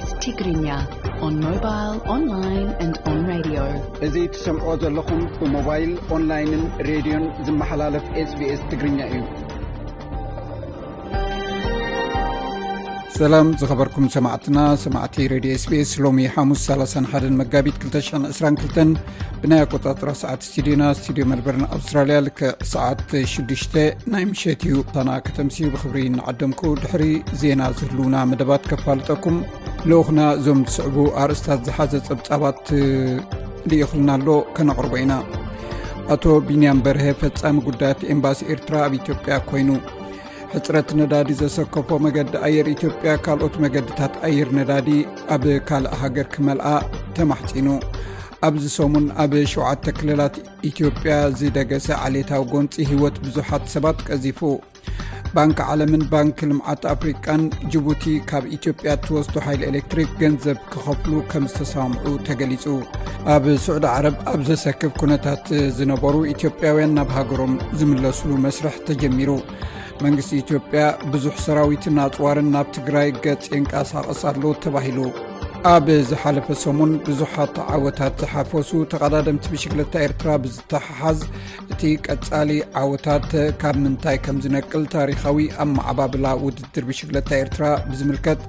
Tigrinya, on mobile, online and on radio. እዚ ትሰምዖ ዘለኹም ብሞባይል፣ ኦንላይንን ሬድዮን ዝመሓላለፍ ኤስቢኤስ ትግርኛ እዩ። ሰላም ዝኸበርኩም ሰማዕትና፣ ሰማዕቲ ሬድዮ ኤስቢኤስ፣ ሎሚ ሓሙስ ሰላሳን ሓደን መጋቢት ክልተ ሽሕን ዕስራን ክልተን ብናይ ኣቆጻጽራ ሰዓት ስቱዲዮና፣ ስቱዲዮ መልበርን ኣውስትራልያ፣ ልክዕ ሰዓት ሽዱሽተ ናይ ምሸት እዩ። ታና ከተምሲ ብኽብሪ እናዓደምኩ፣ ድሕሪ ዜና ዝህልውና መደባት ከፋልጠኩም፣ ልኡኽና እዞም ዝስዕቡ ኣርእስታት ዝሓዘ ጸብጻባት ልኢኽልና ኣሎ፣ ከነቕርቦ ኢና። ኣቶ ቢንያም በርሀ፣ ፈጻሚ ጉዳያት ኤምባሲ ኤርትራ ኣብ ኢትዮጵያ ኮይኑ። ሕጽረት ነዳዲ ዘሰከፎ መገዲ ኣየር ኢትዮጵያ፣ ካልኦት መገድታት ኣየር ነዳዲ ኣብ ካልእ ሃገር ክመልኣ ተማሕጺኑ። ኣብዚ ሰሙን ኣብ ሸውዓተ ክልላት ኢትዮጵያ ዝደገሰ ዓሌታዊ ጎንጺ ህይወት ብዙሓት ሰባት ቀዚፉ። ባንክ ዓለምን ባንክ ልምዓት ኣፍሪቃን፣ ጅቡቲ ካብ ኢትዮጵያ እትወስዶ ሓይሊ ኤሌክትሪክ ገንዘብ ክኸፍሉ ከም ዝተሰማምዑ ተገሊጹ። ኣብ ስዑዲ ዓረብ ኣብ ዘሰክፍ ኩነታት ዝነበሩ ኢትዮጵያውያን ናብ ሃገሮም ዝምለስሉ መስርሕ ተጀሚሩ። መንግስቲ ኢትዮጵያ ብዙሕ ሰራዊትን ኣጽዋርን ናብ ትግራይ ገጽ የንቀሳቕስ ኣሎ ተባሂሉ። ኣብ ዝሓለፈ ሰሙን ብዙሓት ዓወታት ዝሓፈሱ ተቐዳደምቲ ብሽግለታ ኤርትራ ብዝተሓሓዝ፣ እቲ ቀጻሊ ዓወታት ካብ ምንታይ ከም ዝነቅል ታሪኻዊ ኣመዓባብላ ውድድር ብሽግለታ ኤርትራ ብዝምልከት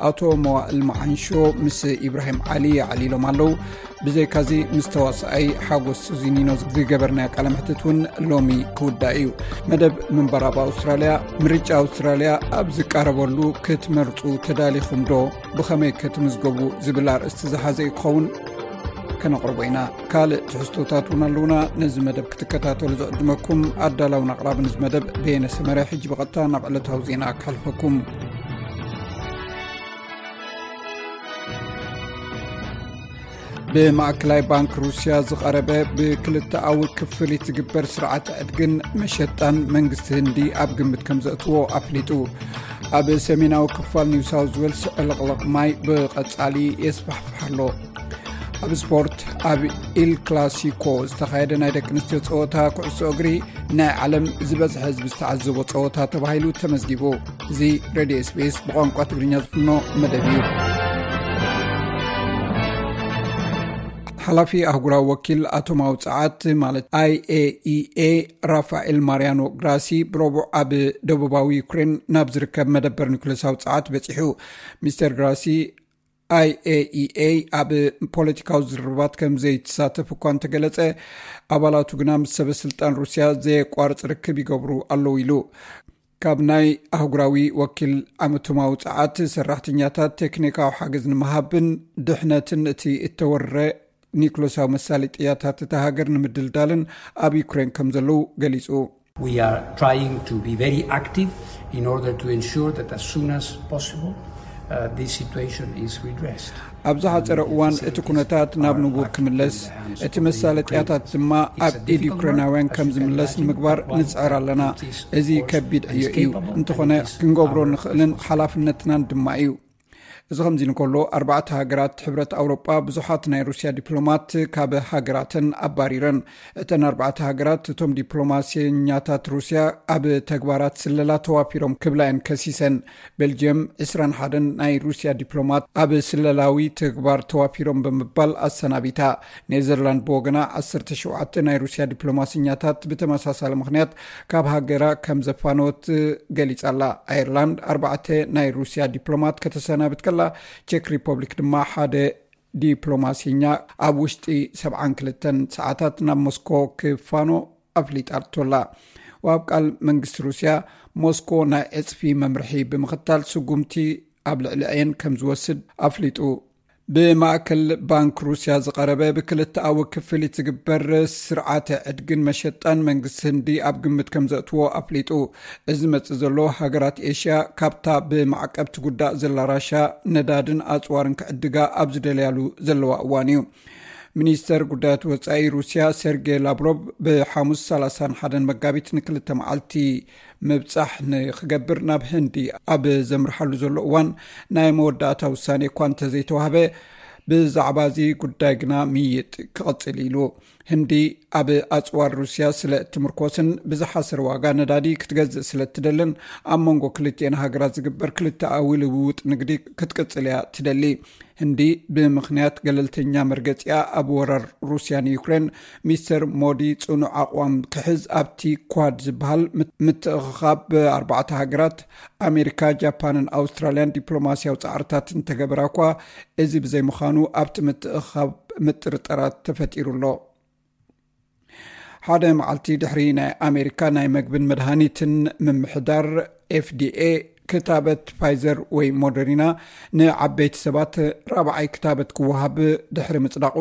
ኣቶ መዋእል መዓንሾ ምስ ኢብራሂም ዓሊ የዕሊሎም ኣለዉ። ብዘይካዚ ምስ ተዋሳኣይ ሓጎስ ሱዚኒኖ ዝገበርናዮ ቃለ መሕትት እውን ሎሚ ክውዳእ እዩ። መደብ ምንባር ኣብ ኣውስትራልያ፣ ምርጫ ኣውስትራልያ ኣብ ዝቃረበሉ ክትመርጹ ተዳሊኹም ዶ? ብኸመይ ክትምዝገቡ? ዝብል ኣርእስቲ ዝሓዘ እዩ ክኸውን፣ ከነቕርቦ ኢና። ካልእ ትሕዝቶታት እውን ኣለዉና። ነዚ መደብ ክትከታተሉ ዝዕድመኩም ኣዳላውን ኣቕራብን እዚ መደብ በየነ ሰመረ። ሕጂ ብቐጥታ ናብ ዕለታዊ ዜና ከሕልፈኩም። ብማእከላይ ባንክ ሩስያ ዝቐረበ ብክልተኣዊ ክፍሊት ዝግበር ስርዓት ዕድግን መሸጣን መንግስቲ ህንዲ ኣብ ግምት ከም ዘእትዎ ኣፍሊጡ። ኣብ ሰሜናዊ ክፋል ኒው ሳውዝ ዌልስ ዕልቕልቕ ማይ ብቐጻሊ የስፋሕፍሕ ኣሎ። ኣብ ስፖርት፣ ኣብ ኢል ክላሲኮ ዝተኻየደ ናይ ደቂ ኣንስትዮ ጸወታ ኩዕሶ እግሪ፣ ናይ ዓለም ዝበዝሐ ህዝቢ ዝተዓዘቦ ጸወታ ተባሂሉ ተመዝጊቡ። እዚ ሬድዮ ኤስቢኤስ ብቋንቋ ትግርኛ ዝፍኖ መደብ እዩ። ሓላፊ ኣህጉራዊ ወኪል ኣቶማዊ ጸዓት፣ ማለት ኣይኤኢኤ፣ ራፋኤል ማሪያኖ ግራሲ ብረቡዕ ኣብ ደቡባዊ ዩክሬን ናብ ዝርከብ መደበር ኒኩሌሳዊ ጸዓት በጺሑ። ሚስተር ግራሲ፣ ኣይኤኢኤ ኣብ ፖለቲካዊ ዝርርባት ከም ዘይትሳተፍ እኳ እንተገለጸ፣ ኣባላቱ ግና ምስ ሰበ ስልጣን ሩስያ ዘየቋርጽ ርክብ ይገብሩ ኣለዉ ኢሉ። ካብ ናይ ኣህጉራዊ ወኪል ኣመቶማዊ ጸዓት ሰራሕተኛታት ቴክኒካዊ ሓገዝ ንምሃብን ድሕነትን እቲ እተወረረ ኒኩሌሳዊ መሳለጥያታት እታ ሃገር ንምድልዳልን ኣብ ዩክሬን ከም ዘለዉ ገሊጹ። We are trying to be very active in order to ensure that as soon as possible, uh, this situation is redressed. ኣብ ዝሓጸረ እዋን እቲ ኩነታት ናብ ንቡር ክምለስ፣ እቲ መሳለጥያታት ድማ ኣብ ኢድ ዩክሬናውያን ከም ዝምለስ ንምግባር ንጽዕር ኣለና። እዚ ከቢድ ዕዮ እዩ፣ እንተኾነ ክንገብሮ ንኽእልን ሓላፍነትናን ድማ እዩ። እዚ ከምዚ እንከሎ፣ ኣርባዕተ ሃገራት ሕብረት ኣውሮጳ ብዙሓት ናይ ሩስያ ዲፕሎማት ካብ ሃገራተን ኣባሪረን። እተን ኣርባዕተ ሃገራት፣ እቶም ዲፕሎማስየኛታት ሩስያ ኣብ ተግባራት ስለላ ተዋፊሮም ክብላ እየን ከሲሰን። ቤልጅየም፣ ዕስራን ሓደን ናይ ሩስያ ዲፕሎማት ኣብ ስለላዊ ተግባር ተዋፊሮም ብምባል ኣሰናቢታ። ኔዘርላንድ ብወገና፣ ዓሰርተ ሸውዓተ ናይ ሩስያ ዲፕሎማስኛታት ብተመሳሳሊ ምኽንያት ካብ ሃገራ ከም ዘፋነወት ገሊጻ ኣላ። ኣየርላንድ ኣርባዕተ ናይ ሩስያ ዲፕሎማት ከተሰናብት ከላ፣ ቼክ ሪፐብሊክ ድማ ሓደ ዲፕሎማሲኛ ኣብ ውሽጢ ሰብዓን ክልተን ሰዓታት ናብ ሞስኮ ክፋኖ ኣፍሊጣቶ ኣላ። ወሃብ ቃል መንግስቲ ሩስያ፣ ሞስኮ ናይ ዕጽፊ መምርሒ ብምኽታል ስጉምቲ ኣብ ልዕሊአን ከም ዝወስድ ኣፍሊጡ። ብማእከል ባንክ ሩስያ ዝቐረበ ብክልተኣዊ ክፍሊት ዝግበር ስርዓተ ዕድግን መሸጣን መንግስቲ ህንዲ ኣብ ግምት ከም ዘእትዎ ኣፍሊጡ። እዚ ዝመጽእ ዘሎ፣ ሃገራት ኤሽያ ካብታ ብማዕቀብ ትጉዳእ ዘላ ራሻ ነዳድን ኣጽዋርን ክዕድጋ ኣብ ዝደለያሉ ዘለዋ እዋን እዩ። ሚኒስተር ጉዳያት ወጻኢ ሩስያ ሴርጌ ላቭሮቭ ብሓሙስ ሰላሳን ሓደን መጋቢት ንክልተ መዓልቲ ምብጻሕ ንክገብር ናብ ህንዲ ኣብ ዘምርሓሉ ዘሎ እዋን፣ ናይ መወዳእታ ውሳኔ እኳ እንተዘይተዋህበ፣ ብዛዕባ እዚ ጉዳይ ግና ምይይጥ ክቕጽል ኢሉ። ህንዲ ኣብ ኣጽዋር ሩስያ ስለ እትምርኮስን ብዝሓሰር ዋጋ ነዳዲ ክትገዝእ ስለ እትደልን፣ ኣብ መንጎ ክልቲኤን ሃገራት ዝግበር ክልተኣዊ ልውውጥ ንግዲ ክትቅጽል እያ ትደሊ። ህንዲ ብምኽንያት ገለልተኛ መርገጺኣ ኣብ ወራር ሩስያ ንዩክሬን፣ ሚስተር ሞዲ ጽኑዕ ኣቕዋም ክሕዝ ኣብቲ ኳድ ዝበሃል ምት-፣ ምትእኽኻብ ኣርባዕተ ሃገራት ኣሜሪካ፣ ጃፓንን ኣውስትራልያን ዲፕሎማስያዊ ጻዕርታት እንተገበራ እኳ፣ እዚ ብዘይምዃኑ ኣብቲ ምትእኽኻብ ምጥርጠራት ተፈጢሩ ኣሎ። ሓደ መዓልቲ ድሕሪ ናይ ኣሜሪካ ናይ መግብን መድሃኒትን ምምሕዳር ኤፍዲኤ ክታበት ፋይዘር ወይ ሞደሪና ንዓበይቲ ሰባት ራብዓይ ክታበት ክወሃብ ድሕሪ ምጽዳቑ፣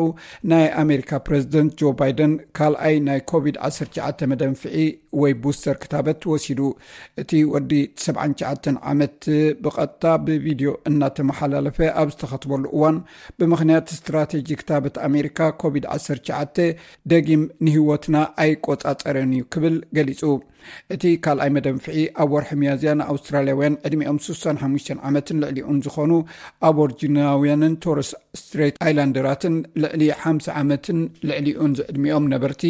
ናይ ኣሜሪካ ፕረዚደንት ጆ ባይደን ካልኣይ ናይ ኮቪድ ዓሰርተ ትሽዓተ መደንፍዒ ወይ ቡስተር ክታበት ወሲዱ። እቲ ወዲ ሰብዓን ትሽዓተን ዓመት ብቐጥታ ብቪድዮ እናተመሓላለፈ ኣብ ዝተኸትበሉ እዋን፣ ብምኽንያት ስትራቴጂ ክታበት ኣሜሪካ ኮቪድ ዓሰርተ ትሽዓተ ደጊም ንህይወትና ኣይቆጻጸረን እዩ ክብል ገሊጹ። እቲ ካልኣይ መደንፍዒ ኣብ ወርሒ ሚያዝያ ንኣውስትራልያውያን ዕድሚኦም ስሳን ሓሙሽተን ዓመትን ልዕሊኡን ዝኾኑ ኣቦርጂናውያንን ቶረስ ስትሬት ኣይላንደራትን ልዕሊ ሓምሳ ዓመትን ልዕሊኡን ዝዕድሚኦም ነበርቲ፣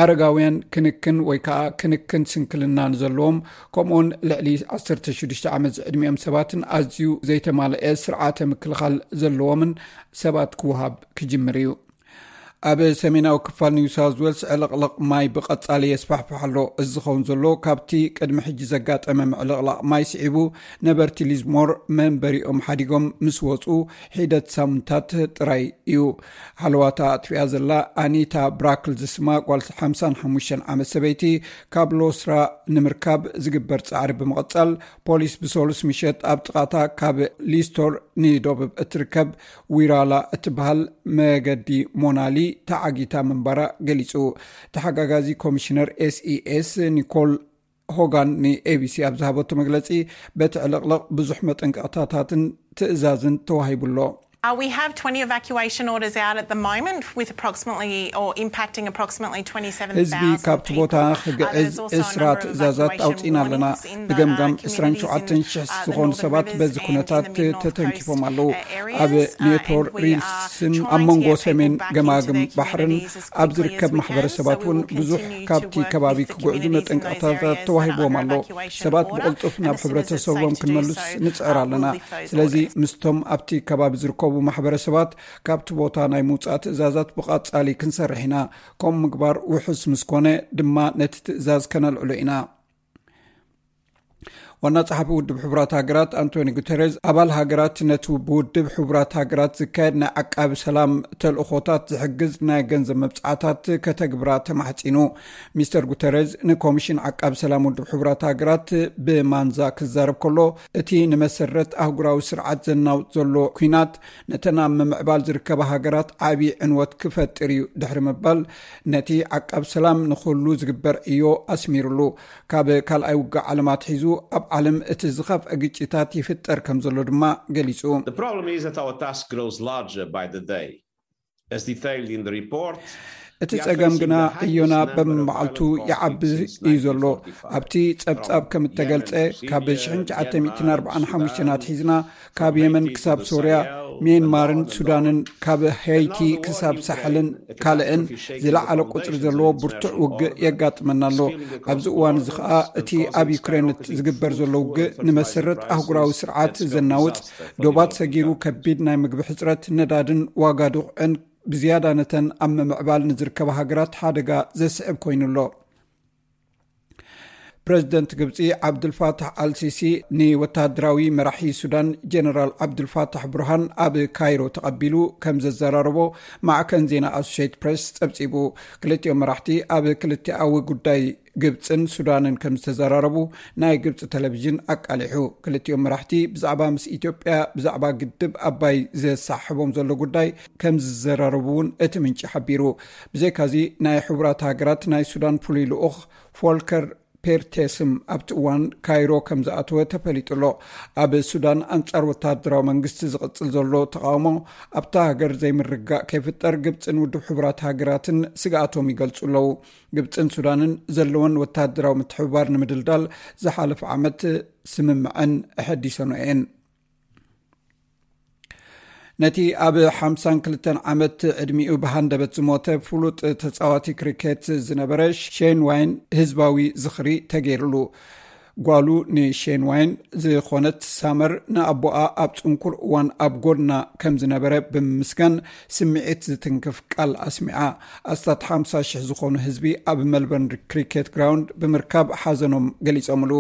ኣረጋውያን፣ ክንክን ወይ ከዓ ክንክን ስንክልና ንዘለዎም፣ ከምኡውን ልዕሊ ዓሰርተ ሽዱሽተ ዓመት ዝዕድሚኦም ሰባትን ኣዝዩ ዘይተማልአ ስርዓተ ምክልኻል ዘለዎምን ሰባት ክወሃብ ክጅምር እዩ። ኣብ ሰሜናዊ ክፋል ኒው ሳውዝ ዌልስ ዕልቕልቕ ማይ ብቐጻሊ የስፋሕፍሕ ኣሎ። እዚ ዝኸውን ዘሎ ካብቲ ቅድሚ ሕጂ ዘጋጠመ ምዕልቕላቕ ማይ ስዒቡ፣ ነበርቲ ሊዝሞር መንበሪኦም ሓዲጎም ምስ ወጹ ሒደት ሳምንታት ጥራይ እዩ። ሃለዋታ ኣጥፊኣ ዘላ ኣኒታ ብራክል ዝስማ ጓል ሓምሳን ሓሙሽተን ዓመት ሰበይቲ፣ ካብ ሎስራ ንምርካብ ዝግበር ጻዕሪ ብምቕጻል፣ ፖሊስ ብሰሉስ ምሸት ኣብ ጥቓታ ካብ ሊስቶር ንደቡብ እትርከብ ዊራላ እትበሃል መገዲ ሞናሊ ተዓጊታ ምንባራ ገሊጹ። ተሓጋጋዚ ኮሚሽነር ኤስኢኤስ ኒኮል ሆጋን ንኤቢሲ ኣብ ዝሃበቶ መግለጺ፣ በቲ ዕልቕልቕ ብዙሕ መጠንቀቕታታትን ትእዛዝን ተዋሂቡ ኣሎ። Uh, we have twenty evacuation orders out at the moment, with approximately or impacting approximately twenty-seven thousand ህዝቢ ካብቲ ቦታ ክግዕዝ ዕስራ ትእዛዛት ኣውፂና ኣለና። ብገምጋም ዕስራን ሸውዓተን ሽሕ ዝኾኑ ሰባት በዚ ኩነታት ተተንኪፎም ኣለዉ። ኣብ ኔቶር ሪልስን ኣብ መንጎ ሰሜን ገማግም ባሕርን ኣብ ዝርከብ ማሕበረሰባት እውን ብዙሕ ካብቲ ከባቢ ክጉዕዙ መጠንቀቕታታት ተዋሂብዎም ኣሎ። ሰባት ብቕልጡፍ ናብ ሕብረተሰቦም ክንመልስ ንፅዕር ኣለና። ስለዚ ምስቶም ኣብቲ ከባቢ ዝርከቡ ማሕበረሰባት ካብቲ ቦታ ናይ ምውፃእ ትእዛዛት ብቐፃሊ ክንሰርሕ ኢና። ከምኡ ምግባር ውሑስ ምስ ኮነ ድማ ነቲ ትእዛዝ ከነልዕሎ ኢና። ዋና ጸሓፊ ውድብ ሕቡራት ሃገራት ኣንቶኒ ጉተሬዝ፣ ኣባል ሃገራት ነቲ ብውድብ ሕቡራት ሃገራት ዝካየድ ናይ ዓቃቢ ሰላም ተልእኾታት ዝሕግዝ ናይ ገንዘብ መብጽዓታት ከተግብራ ተማሕጺኑ። ሚስተር ጉተሬዝ ንኮሚሽን ዓቃቢ ሰላም ውድብ ሕቡራት ሃገራት ብማንዛ ክዛረብ ከሎ፣ እቲ ንመሰረት ኣህጉራዊ ስርዓት ዘናውጽ ዘሎ ኲናት ነተን ኣብ ምምዕባል ዝርከባ ሃገራት ዓቢ ዕንወት ክፈጥር እዩ ድሕሪ ምባል፣ ነቲ ዓቃቢ ሰላም ንኹሉ ዝግበር ዕዮ ኣስሚሩሉ። ካብ ካልኣይ ውግእ ዓለም ኣትሒዙ ኣብ ዓለም እቲ ዝኸፍአ ግጭታት ይፍጠር ከም ዘሎ ድማ ገሊጹ። The problem is that our task grows larger by the day. As detailed in the report, እቲ ጸገም ግና ዕዮና በብመዓልቱ ይዓቢ እዩ ዘሎ። ኣብቲ ጸብጻብ ከም እተገልጸ፣ ካብ ሽሕን ትሽዓተ ሚእትን ኣርባዓን ሓሙሽተን ኣትሒዝና ካብ የመን ክሳብ ሶርያ፣ ሚያንማርን ሱዳንን፣ ካብ ሄይቲ ክሳብ ሳሕልን ካልእን ዝለዓለ ቁጽሪ ዘለዎ ብርቱዕ ውግእ የጋጥመና ኣሎ። ኣብዚ እዋን እዚ ኸኣ እቲ ኣብ ዩክሬን ዝግበር ዘሎ ውግእ ንመሰረት ኣህጉራዊ ስርዓት ዘናውጽ፣ ዶባት ሰጊሩ ከቢድ ናይ ምግቢ ሕጽረት፣ ነዳድን ዋጋ ድቑዕን ብዝያዳ ነተን ኣብ ምምዕባል ንዝርከባ ሃገራት ሓደጋ ዘስዕብ ኮይኑ ኣሎ። ፕረዚደንት ግብጺ ዓብዱልፋታሕ ኣልሲሲ ንወተሃደራዊ መራሒ ሱዳን ጀነራል ዓብዱልፋታሕ ብርሃን ኣብ ካይሮ ተቐቢሉ ከም ዘዘራረቦ ማዕከን ዜና ኣሶሼት ፕሬስ ጸብጺቡ። ክልቲኦም መራሕቲ ኣብ ክልቲኣዊ ጉዳይ ግብጽን ሱዳንን ከም ዝተዘራረቡ ናይ ግብጺ ቴሌቪዥን ኣቃሊሑ። ክልቲኦም መራሕቲ ብዛዕባ ምስ ኢትዮጵያ ብዛዕባ ግድብ ኣባይ ዘሳሕቦም ዘሎ ጉዳይ ከም ዝዘራረቡ እውን እቲ ምንጪ ሓቢሩ። ብዘይካዚ ናይ ሕቡራት ሃገራት ናይ ሱዳን ፍሉይ ልኡኽ ፎልከር ፔርቴስም ኣብቲ እዋን ካይሮ ከም ዝኣተወ ተፈሊጡ ኣሎ። ኣብ ሱዳን ኣንጻር ወተሃደራዊ መንግስቲ ዝቕጽል ዘሎ ተቓውሞ ኣብታ ሃገር ዘይምርግጋእ ከይፍጠር ግብጽን ውድብ ሕቡራት ሃገራትን ስግኣቶም ይገልጹ ኣለዉ። ግብጽን ሱዳንን ዘለወን ወተሃደራዊ ምትሕብባር ንምድልዳል ዝሓለፈ ዓመት ስምምዐን ኣሐዲሰኖ እየን። ነቲ ኣብ ሓምሳን ክልተን ዓመት ዕድሚኡ ብሃንደበት ዝሞተ ፍሉጥ ተጻዋቲ ክሪኬት ዝነበረ ሼን ዋይን ህዝባዊ ዝኽሪ ተገይርሉ። ጓሉ ንሼን ዋይን ዝኾነት ሳመር ንኣቦኣ ኣብ ጽንኩር እዋን ኣብ ጎድና ከም ዝነበረ ብምምስጋን ስምዒት ዝትንክፍ ቃል ኣስሚዓ። ኣስታት ሓምሳ ሽሕ ዝኾኑ ህዝቢ ኣብ መልበርን ክሪኬት ግራውንድ ብምርካብ ሓዘኖም ገሊጾምሉ።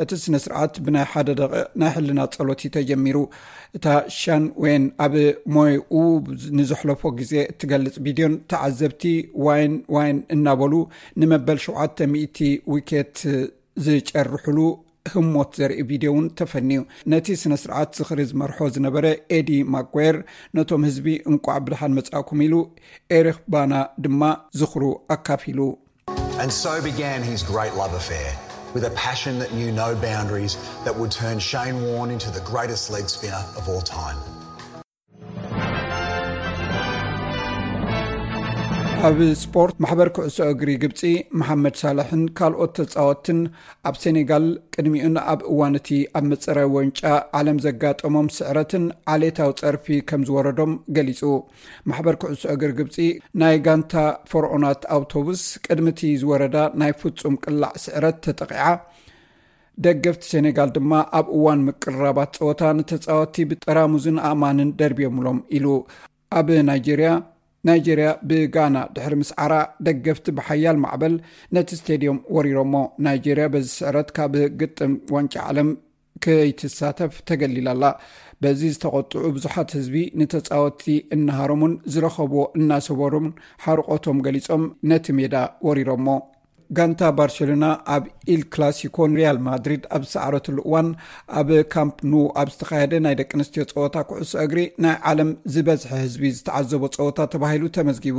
እቲ ስነ ስርዓት ብናይ ሓደ ደቂቕ ናይ ሕልና ጸሎት እዩ ተጀሚሩ። እታ ሻን ዌን ኣብ ሞይኡ ንዘሕለፎ ግዜ እትገልጽ ቪድዮን ተዓዘብቲ ዋይን ዋይን እናበሉ ንመበል ሸውዓተ ሚእቲ ዊኬት ዝጨርሕሉ ህሞት ዘርኢ ቪድዮ እውን ተፈንዩ። ነቲ ስነ ስርዓት ዝኽሪ ዝመርሖ ዝነበረ ኤዲ ማጓየር ነቶም ህዝቢ እንቋዕ ብድሓን መጻእኩም ኢሉ፣ ኤሪክ ባና ድማ ዝኽሩ ኣካፊሉ። And so began his great love affair with a passion that knew no boundaries that would turn Shane Warne into the greatest leg spinner of all time. ኣብ ስፖርት፣ ማሕበር ኩዕሶ እግሪ ግብፂ መሓመድ ሳልሕን ካልኦት ተፃወትትን ኣብ ሴኔጋል ቅድሚኡን ኣብ እዋን እቲ ኣብ መፀረይ ዋንጫ ዓለም ዘጋጠሞም ስዕረትን ዓሌታዊ ፀርፊ ከም ዝወረዶም ገሊፁ። ማሕበር ኩዕሶ እግሪ ግብፂ ናይ ጋንታ ፈርዖናት ኣውቶቡስ ቅድሚ እቲ ዝወረዳ ናይ ፍፁም ቅላዕ ስዕረት ተጠቒዓ። ደገፍቲ ሴኔጋል ድማ ኣብ እዋን ምቅርራባት ፀወታ ንተፃወትቲ ብጠራሙዝን ኣእማንን ደርብዮምሎም ኢሉ። ኣብ ናይጄርያ፣ ናይጄርያ ብጋና ድሕሪ ምስዓራ ደገፍቲ ብሓያል ማዕበል ነቲ ስቴድዮም ወሪሮሞ። ናይጄርያ በዚ ስዕረት ካብ ግጥም ዋንጫ ዓለም ከይትሳተፍ ተገሊላ ኣላ። በዚ ዝተቖጥዑ ብዙሓት ህዝቢ ንተፃወትቲ እናሃረሙን ዝረኸብዎ እናሰበሩን ሓርቆቶም ገሊፆም ነቲ ሜዳ ወሪሮሞ። ጋንታ ባርሴሎና ኣብ ኢል ክላሲኮ ንሪያል ማድሪድ ኣብ ዝሰዓረትሉ እዋን ኣብ ካምፕ ኑ ኣብ ዝተኻየደ ናይ ደቂ ኣንስትዮ ፀወታ ኩዕሶ እግሪ ናይ ዓለም ዝበዝሐ ህዝቢ ዝተዓዘቦ ፀወታ ተባሂሉ ተመዝጊቡ።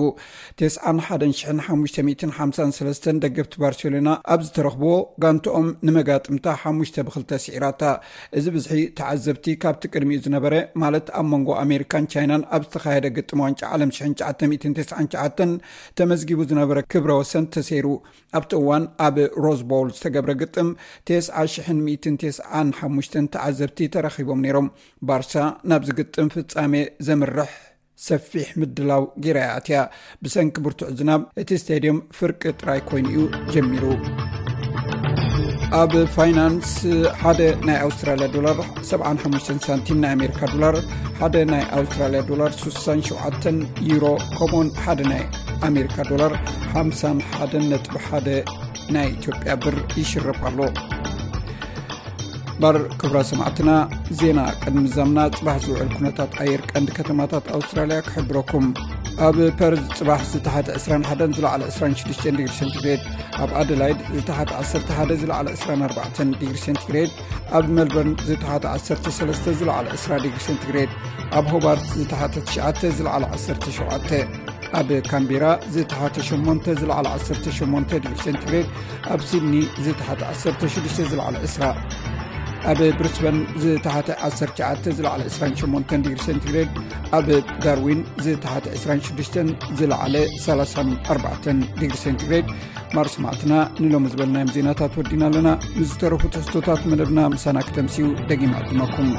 ተስዓን ሓደን ሽሕን ሓሙሽተ ሚእትን ሓምሳን ሰለስተን ደገፍቲ ባርሴሎና ኣብ ዝተረኽብዎ ጋንትኦም ንመጋጥምታ ሓሙሽተ ብኽልተ ስዒራታ። እዚ ብዝሒ ተዓዘብቲ ካብቲ ቅድሚኡ ዝነበረ ማለት ኣብ መንጎ ኣሜሪካን ቻይናን ኣብ ዝተኻየደ ግጥም ዋንጫ ዓለም ሽሕን ትሽዓተ ሚእትን ተስዓን ትሽዓተን ተመዝጊቡ ዝነበረ ክብረ ወሰን ተሰይሩ። ኣብቲ እዋን ኣብ ሮዝ ቦል ዝተገብረ ግጥም ተስዓ ሽሕን ሚእትን ተስዓን ሓሙሽተን ተዓዘብቲ ተረኺቦም ነይሮም። ባርሳ ናብዚ ግጥም ፍጻሜ ዘምርሕ ሰፊሕ ምድላው ገይራ እያ ኣትያ። ብሰንኪ ብርቱዕ ዝናብ እቲ ስቴድየም ፍርቂ ጥራይ ኮይኑ እዩ ጀሚሩ። ኣብ ፋይናንስ፣ ሓደ ናይ ኣውስትራልያ ዶላር ሰብዓን ሓሙሽተን ሳንቲም ናይ ኣሜሪካ ዶላር፣ ሓደ ናይ ኣውስትራልያ ዶላር ስሳን ሸውዓተን ዩሮ፣ ከምኡውን ሓደ ናይ ኣሜሪካ ዶላር ሓምሳን ሓደን ነጥቢ ሓደ ናይ ኢትዮጵያ ብር ይሽረፍ ኣሎ። ባር ክብራ ሰማዕትና፣ ዜና ቅድሚ ዛምና ጽባሕ ዝውዕል ኩነታት ኣየር ቀንዲ ከተማታት ኣውስትራልያ ክሕብረኩም። ኣብ ፐርዝ ጽባሕ ዝተሓተ ዕስራን ሓደን ዝለዓለ ዕስራን ሽዱሽተን ዲግሪ ሴንቲግሬድ፣ ኣብ ኣደላይድ ዝተሓተ ዓሰርተ ሓደ ዝለዓለ ዕስራን ኣርባዕተን ዲግሪ ሴንቲግሬድ፣ ኣብ ሜልበርን ዝተሓተ ዓሰርተ ሰለስተ ዝለዓለ ዕስራ ዲግሪ ሴንቲግሬድ፣ ኣብ ሆባርት ዝተሓተ ትሽዓተ ዝለዓለ ዓሰርተ ሸውዓተ፣ ኣብ ካምቤራ ዝተሓተ ሸሞንተ ዝለዓለ ዓሰርተ ሸሞንተ ዲግሪ ሴንቲግሬድ፣ ኣብ ሲድኒ ዝተሓተ ዓሰርተ ሽዱሽተ ዝለዓለ ዕስራ፣ ኣብ ብሪስበን ዝተሓተ ዓሰርተ ትሽዓተ ዝለዓለ ዕስራን ሸሞንተን ዲግሪ ሴንቲግሬድ፣ ኣብ ዳርዊን ዝተሓተ ዕስራን ሽዱሽተን ዝለዓለ ሰላሳን ኣርባዕተን ዲግሪ ሴንቲግሬድ። ማር ሰማዕትና፣ ንሎሚ ዝበልናዮም ዜናታት ወዲና ኣለና። ምስ ዝተረፉ ትሕዝቶታት መደብና ምሳና ክተምስዩ ደጊም ዕድመኩም።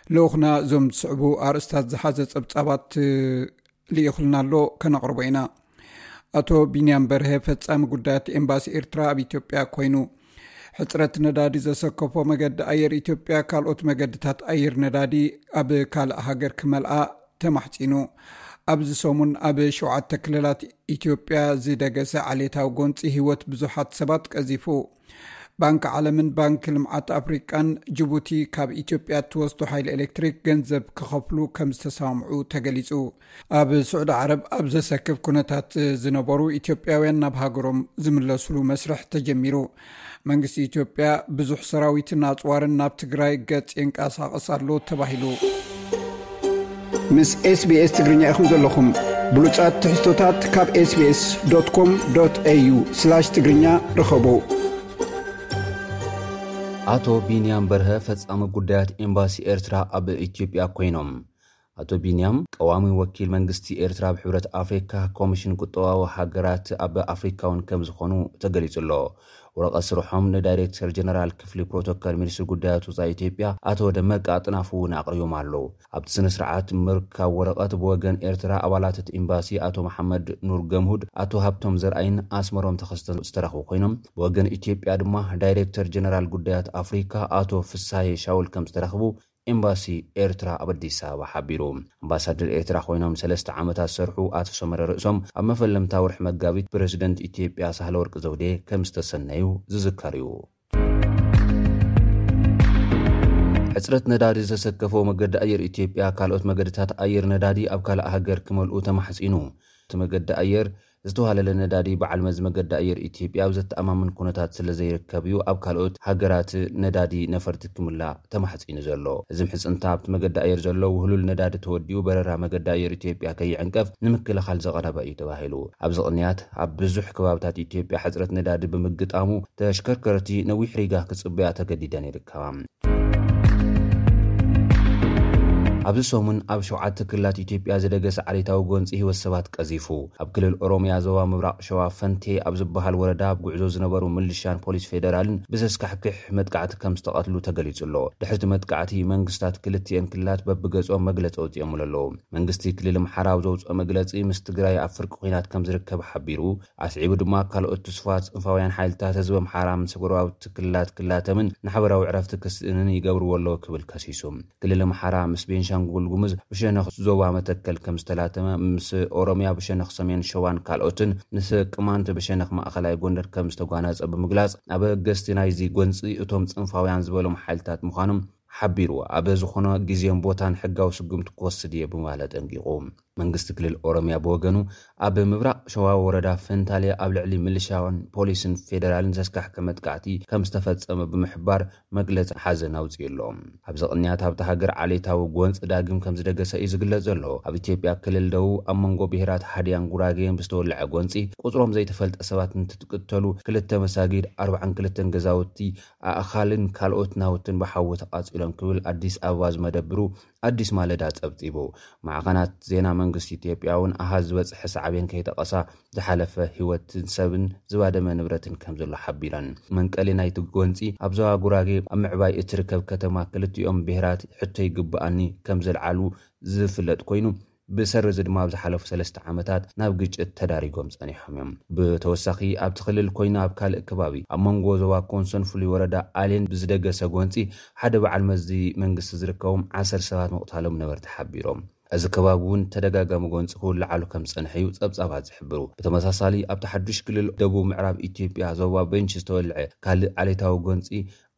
ልኡኽና እዞም ዝስዕቡ ኣርእስታት ዝሓዘ ጸብጻባት ልኢኹልና ኣሎ፣ ከነቕርቦ ኢና። ኣቶ ቢንያም በርሀ ፈጻሚ ጉዳያት ኤምባሲ ኤርትራ ኣብ ኢትዮጵያ ኮይኑ። ሕጽረት ነዳዲ ዘሰከፎ መገዲ ኣየር ኢትዮጵያ ካልኦት መገድታት ኣየር ነዳዲ ኣብ ካልእ ሃገር ክመልኣ ተማሕጺኑ። ኣብዚ ሰሙን ኣብ ሸውዓተ ክልላት ኢትዮጵያ ዝደገሰ ዓሌታዊ ጎንጺ ህይወት ብዙሓት ሰባት ቀዚፉ። ባንኪ ዓለምን ባንኪ ልምዓት ኣፍሪቃን ጅቡቲ ካብ ኢትዮጵያ እትወስዶ ሓይሊ ኤሌክትሪክ ገንዘብ ክኸፍሉ ከም ዝተሰማምዑ ተገሊጹ። ኣብ ስዑዲ ዓረብ ኣብ ዘሰክፍ ኩነታት ዝነበሩ ኢትዮጵያውያን ናብ ሃገሮም ዝምለስሉ መስርሕ ተጀሚሩ። መንግስቲ ኢትዮጵያ ብዙሕ ሰራዊትን ኣጽዋርን ናብ ትግራይ ገጽ የንቀሳቕስ ኣሎ ተባሂሉ። ምስ ኤስቢኤስ ትግርኛ ኢኹም ዘለኹም። ብሉጻት ትሕዝቶታት ካብ ኤስቢኤስ ዶት ኮም ዶት ኤዩ ስላሽ ትግርኛ ርኸቡ። ኣቶ ቢንያም በርሀ ፈጻሚ ጉዳያት ኤምባሲ ኤርትራ ኣብ ኢትዮጵያ ኮይኖም ኣቶ ቢንያም ቀዋሚ ወኪል መንግስቲ ኤርትራ ኣብ ሕብረት ኣፍሪካ ኮሚሽን ቁጠባዊ ሃገራት ኣብ ኣፍሪካ እውን ከም ዝኾኑ ተገሊጹ ኣሎ። ወረቐት ስርሖም ንዳይሬክተር ጀነራል ክፍሊ ፕሮቶኮል ሚኒስትሪ ጉዳያት ወፃኢ ኢትዮጵያ ኣቶ ደመቀ ኣጥናፉ እውን ኣቕሪቦም ኣለዉ። ኣብቲ ስነ ስርዓት ምርካብ ወረቐት ብወገን ኤርትራ ኣባላት እቲ ኤምባሲ ኣቶ መሓመድ ኑር ገምሁድ፣ ኣቶ ሃብቶም ዘርኣይን ኣስመሮም ተኸስተ ዝተረኽቡ ኮይኖም፣ ብወገን ኢትዮጵያ ድማ ዳይሬክተር ጀነራል ጉዳያት ኣፍሪካ ኣቶ ፍሳሄ ሻውል ከም ዝተረኽቡ ኤምባሲ ኤርትራ ኣብ ኣዲስ ኣበባ ሓቢሩ። ኣምባሳደር ኤርትራ ኮይኖም ሰለስተ ዓመታት ዝሰርሑ ኣቶ ሰመረ ርእሶም ኣብ መፈለምታ ወርሒ መጋቢት ፕረዚደንት ኢትዮጵያ ሳህለወርቅ ዘውዴ ከም ዝተሰነዩ ዝዝከር እዩ። ሕጽረት ነዳዲ ዘሰከፎ መገዲ ኣየር ኢትዮጵያ ካልኦት መገድታት ኣየር ነዳዲ ኣብ ካልእ ሃገር ክመልኡ ተማሕጺኑ። እቲ መገዲ ኣየር ዝተዋለለ ነዳዲ በዓል መዚ መገዲ ኣየር ኢትዮጵያ ኣብ ዘተኣማምን ኩነታት ስለ ዘይርከብ እዩ ኣብ ካልኦት ሃገራት ነዳዲ ነፈርቲ ክምላእ ተማሕጺኑ ዘሎ። እዚ ምሕጽንታ ኣብቲ መገዲ ኣየር ዘሎ ውህሉል ነዳዲ ተወዲኡ በረራ መገዲ ኣየር ኢትዮጵያ ከይዕንቀፍ ንምክልኻል ዘቐረበ እዩ ተባሂሉ። ኣብዚ ቅንያት ኣብ ብዙሕ ከባብታት ኢትዮጵያ ሕጽረት ነዳዲ ብምግጣሙ ተሽከርከርቲ ነዊሕ ሪጋ ክጽበያ ተገዲደን ይርከባ። ኣብዚ ሰሙን ኣብ ሸውዓተ ክልላት ኢትዮጵያ ዝደገሰ ዓሌታዊ ጎንፂ ህይወት ሰባት ቀዚፉ። ኣብ ክልል ኦሮሚያ ዞባ ምብራቕ ሸዋ ፈንቴ ኣብ ዝበሃል ወረዳ ኣብ ጉዕዞ ዝነበሩ ምልሻን ፖሊስ ፌደራልን ብዘስካሕክሕ መጥቃዕቲ ከም ዝተቐትሉ ተገሊጹ ኣሎ። ድሕርቲ መጥቃዕቲ መንግስታት ክልቲኤን ክልላት በብገጾም መግለጺ ኣውጺኦም ኣለዉ። መንግስቲ ክልል ኣምሓራ ኣብ ዘውፅኦ መግለጺ ምስ ትግራይ ኣብ ፍርቂ ኲናት ከም ዝርከብ ሓቢሩ። ኣስዒቡ ድማ ካልኦት ትስፋት ፅንፋውያን ሓይልታት ህዝቢ ኣምሓራ ምስ ጎረባብቲ ክልላት ክላተምን ንሓበራዊ ዕረፍቲ ክስእንን ይገብርዎ ኣለዉ ክብል ከሲሱ። ክልል ኣምሓራ ምስ ቤንሻንጉል ጉሙዝ ብሸነኽ ዞባ መተከል ከም ዝተላተመ፣ ምስ ኦሮሚያ ብሸነኽ ሰሜን ሸዋን ካልኦትን ምስ ቅማንት ብሸነኽ ማእኸላይ ጎንደር ከም ዝተጓነጸ ብምግላጽ፣ ኣበገስቲ ናይዚ ጎንጺ እቶም ጽንፋውያን ዝበሎም ሓይልታት ምዃኖም ሓቢሩ። ኣብ ዝኾነ ግዜን ቦታን ሕጋዊ ስጉምቲ ክወስድ እየ ብምባል ኣጠንቂቑ። መንግስቲ ክልል ኦሮሚያ ብወገኑ ኣብ ምብራቕ ሸዋ ወረዳ ፈንታሌ ኣብ ልዕሊ ምልሻን ፖሊስን ፌደራልን ዘስካሕክሕ መጥቃዕቲ ከም ዝተፈጸመ ብምሕባር መግለጺ ሓዘን ኣውጺኡ ኣሎ። ኣብዚ ቅንያት ኣብታ ሃገር ዓሌታዊ ጎንጺ ዳግም ከም ዝደገሰ እዩ ዝግለጽ ዘሎ። ኣብ ኢትዮጵያ ክልል ደቡብ ኣብ መንጎ ብሄራት ሃዲያን ጉራጌን ብዝተወልዐ ጎንጺ ቁጽሮም ዘይተፈልጠ ሰባት እንትትቅተሉ ክልተ መሳጊድ፣ ኣርባዓን ክልተን ገዛውቲ፣ ኣእኻልን ካልኦት ናውትን ብሓዊ ተቓጺሎም ክብል ኣዲስ ኣበባ ዝመደብሩ ኣዲስ ማለዳ ጸብጺቡ። ማዕኸናት ዜና መንግስቲ ኢትዮጵያ እውን ኣሃዝ ዝበጽሐ ሳዕቤን ከይጠቐሳ ዝሓለፈ ህይወትን ሰብን ዝባደመ ንብረትን ከም ዘሎ ሓቢረን። መንቀሊ ናይቲ ጎንጺ ኣብ ዞባ ጉራጌ ኣብ ምዕባይ እትርከብ ከተማ ክልቲኦም ብሄራት ሕቶ ይግብኣኒ ከም ዘልዓሉ ዝፍለጥ ኮይኑ፣ ብሰሪ እዚ ድማ ኣብ ዝሓለፉ ሰለስተ ዓመታት ናብ ግጭት ተዳሪጎም ጸኒሖም እዮም። ብተወሳኺ ኣብቲ ክልል ኮይኑ ኣብ ካልእ ከባቢ ኣብ መንጎ ዞባ ኮንሶን ፍሉይ ወረዳ ኣሌን ብዝደገሰ ጎንጺ ሓደ በዓል መዚ መንግስቲ ዝርከቦም ዓሰርተ ሰባት ምቕታሎም ነበርቲ ሓቢሮም። እዚ ከባቢ እውን ተደጋጋሚ ጎንጺ ክውልዓሉ ከም ዝጸንሐ እዩ ጸብጻባት ዝሕብሩ። ብተመሳሳሊ ኣብቲ ሓዱሽ ክልል ደቡብ ምዕራብ ኢትዮጵያ ዞባ ቤንች ዝተወልዐ ካልእ ዓሌታዊ ጎንጺ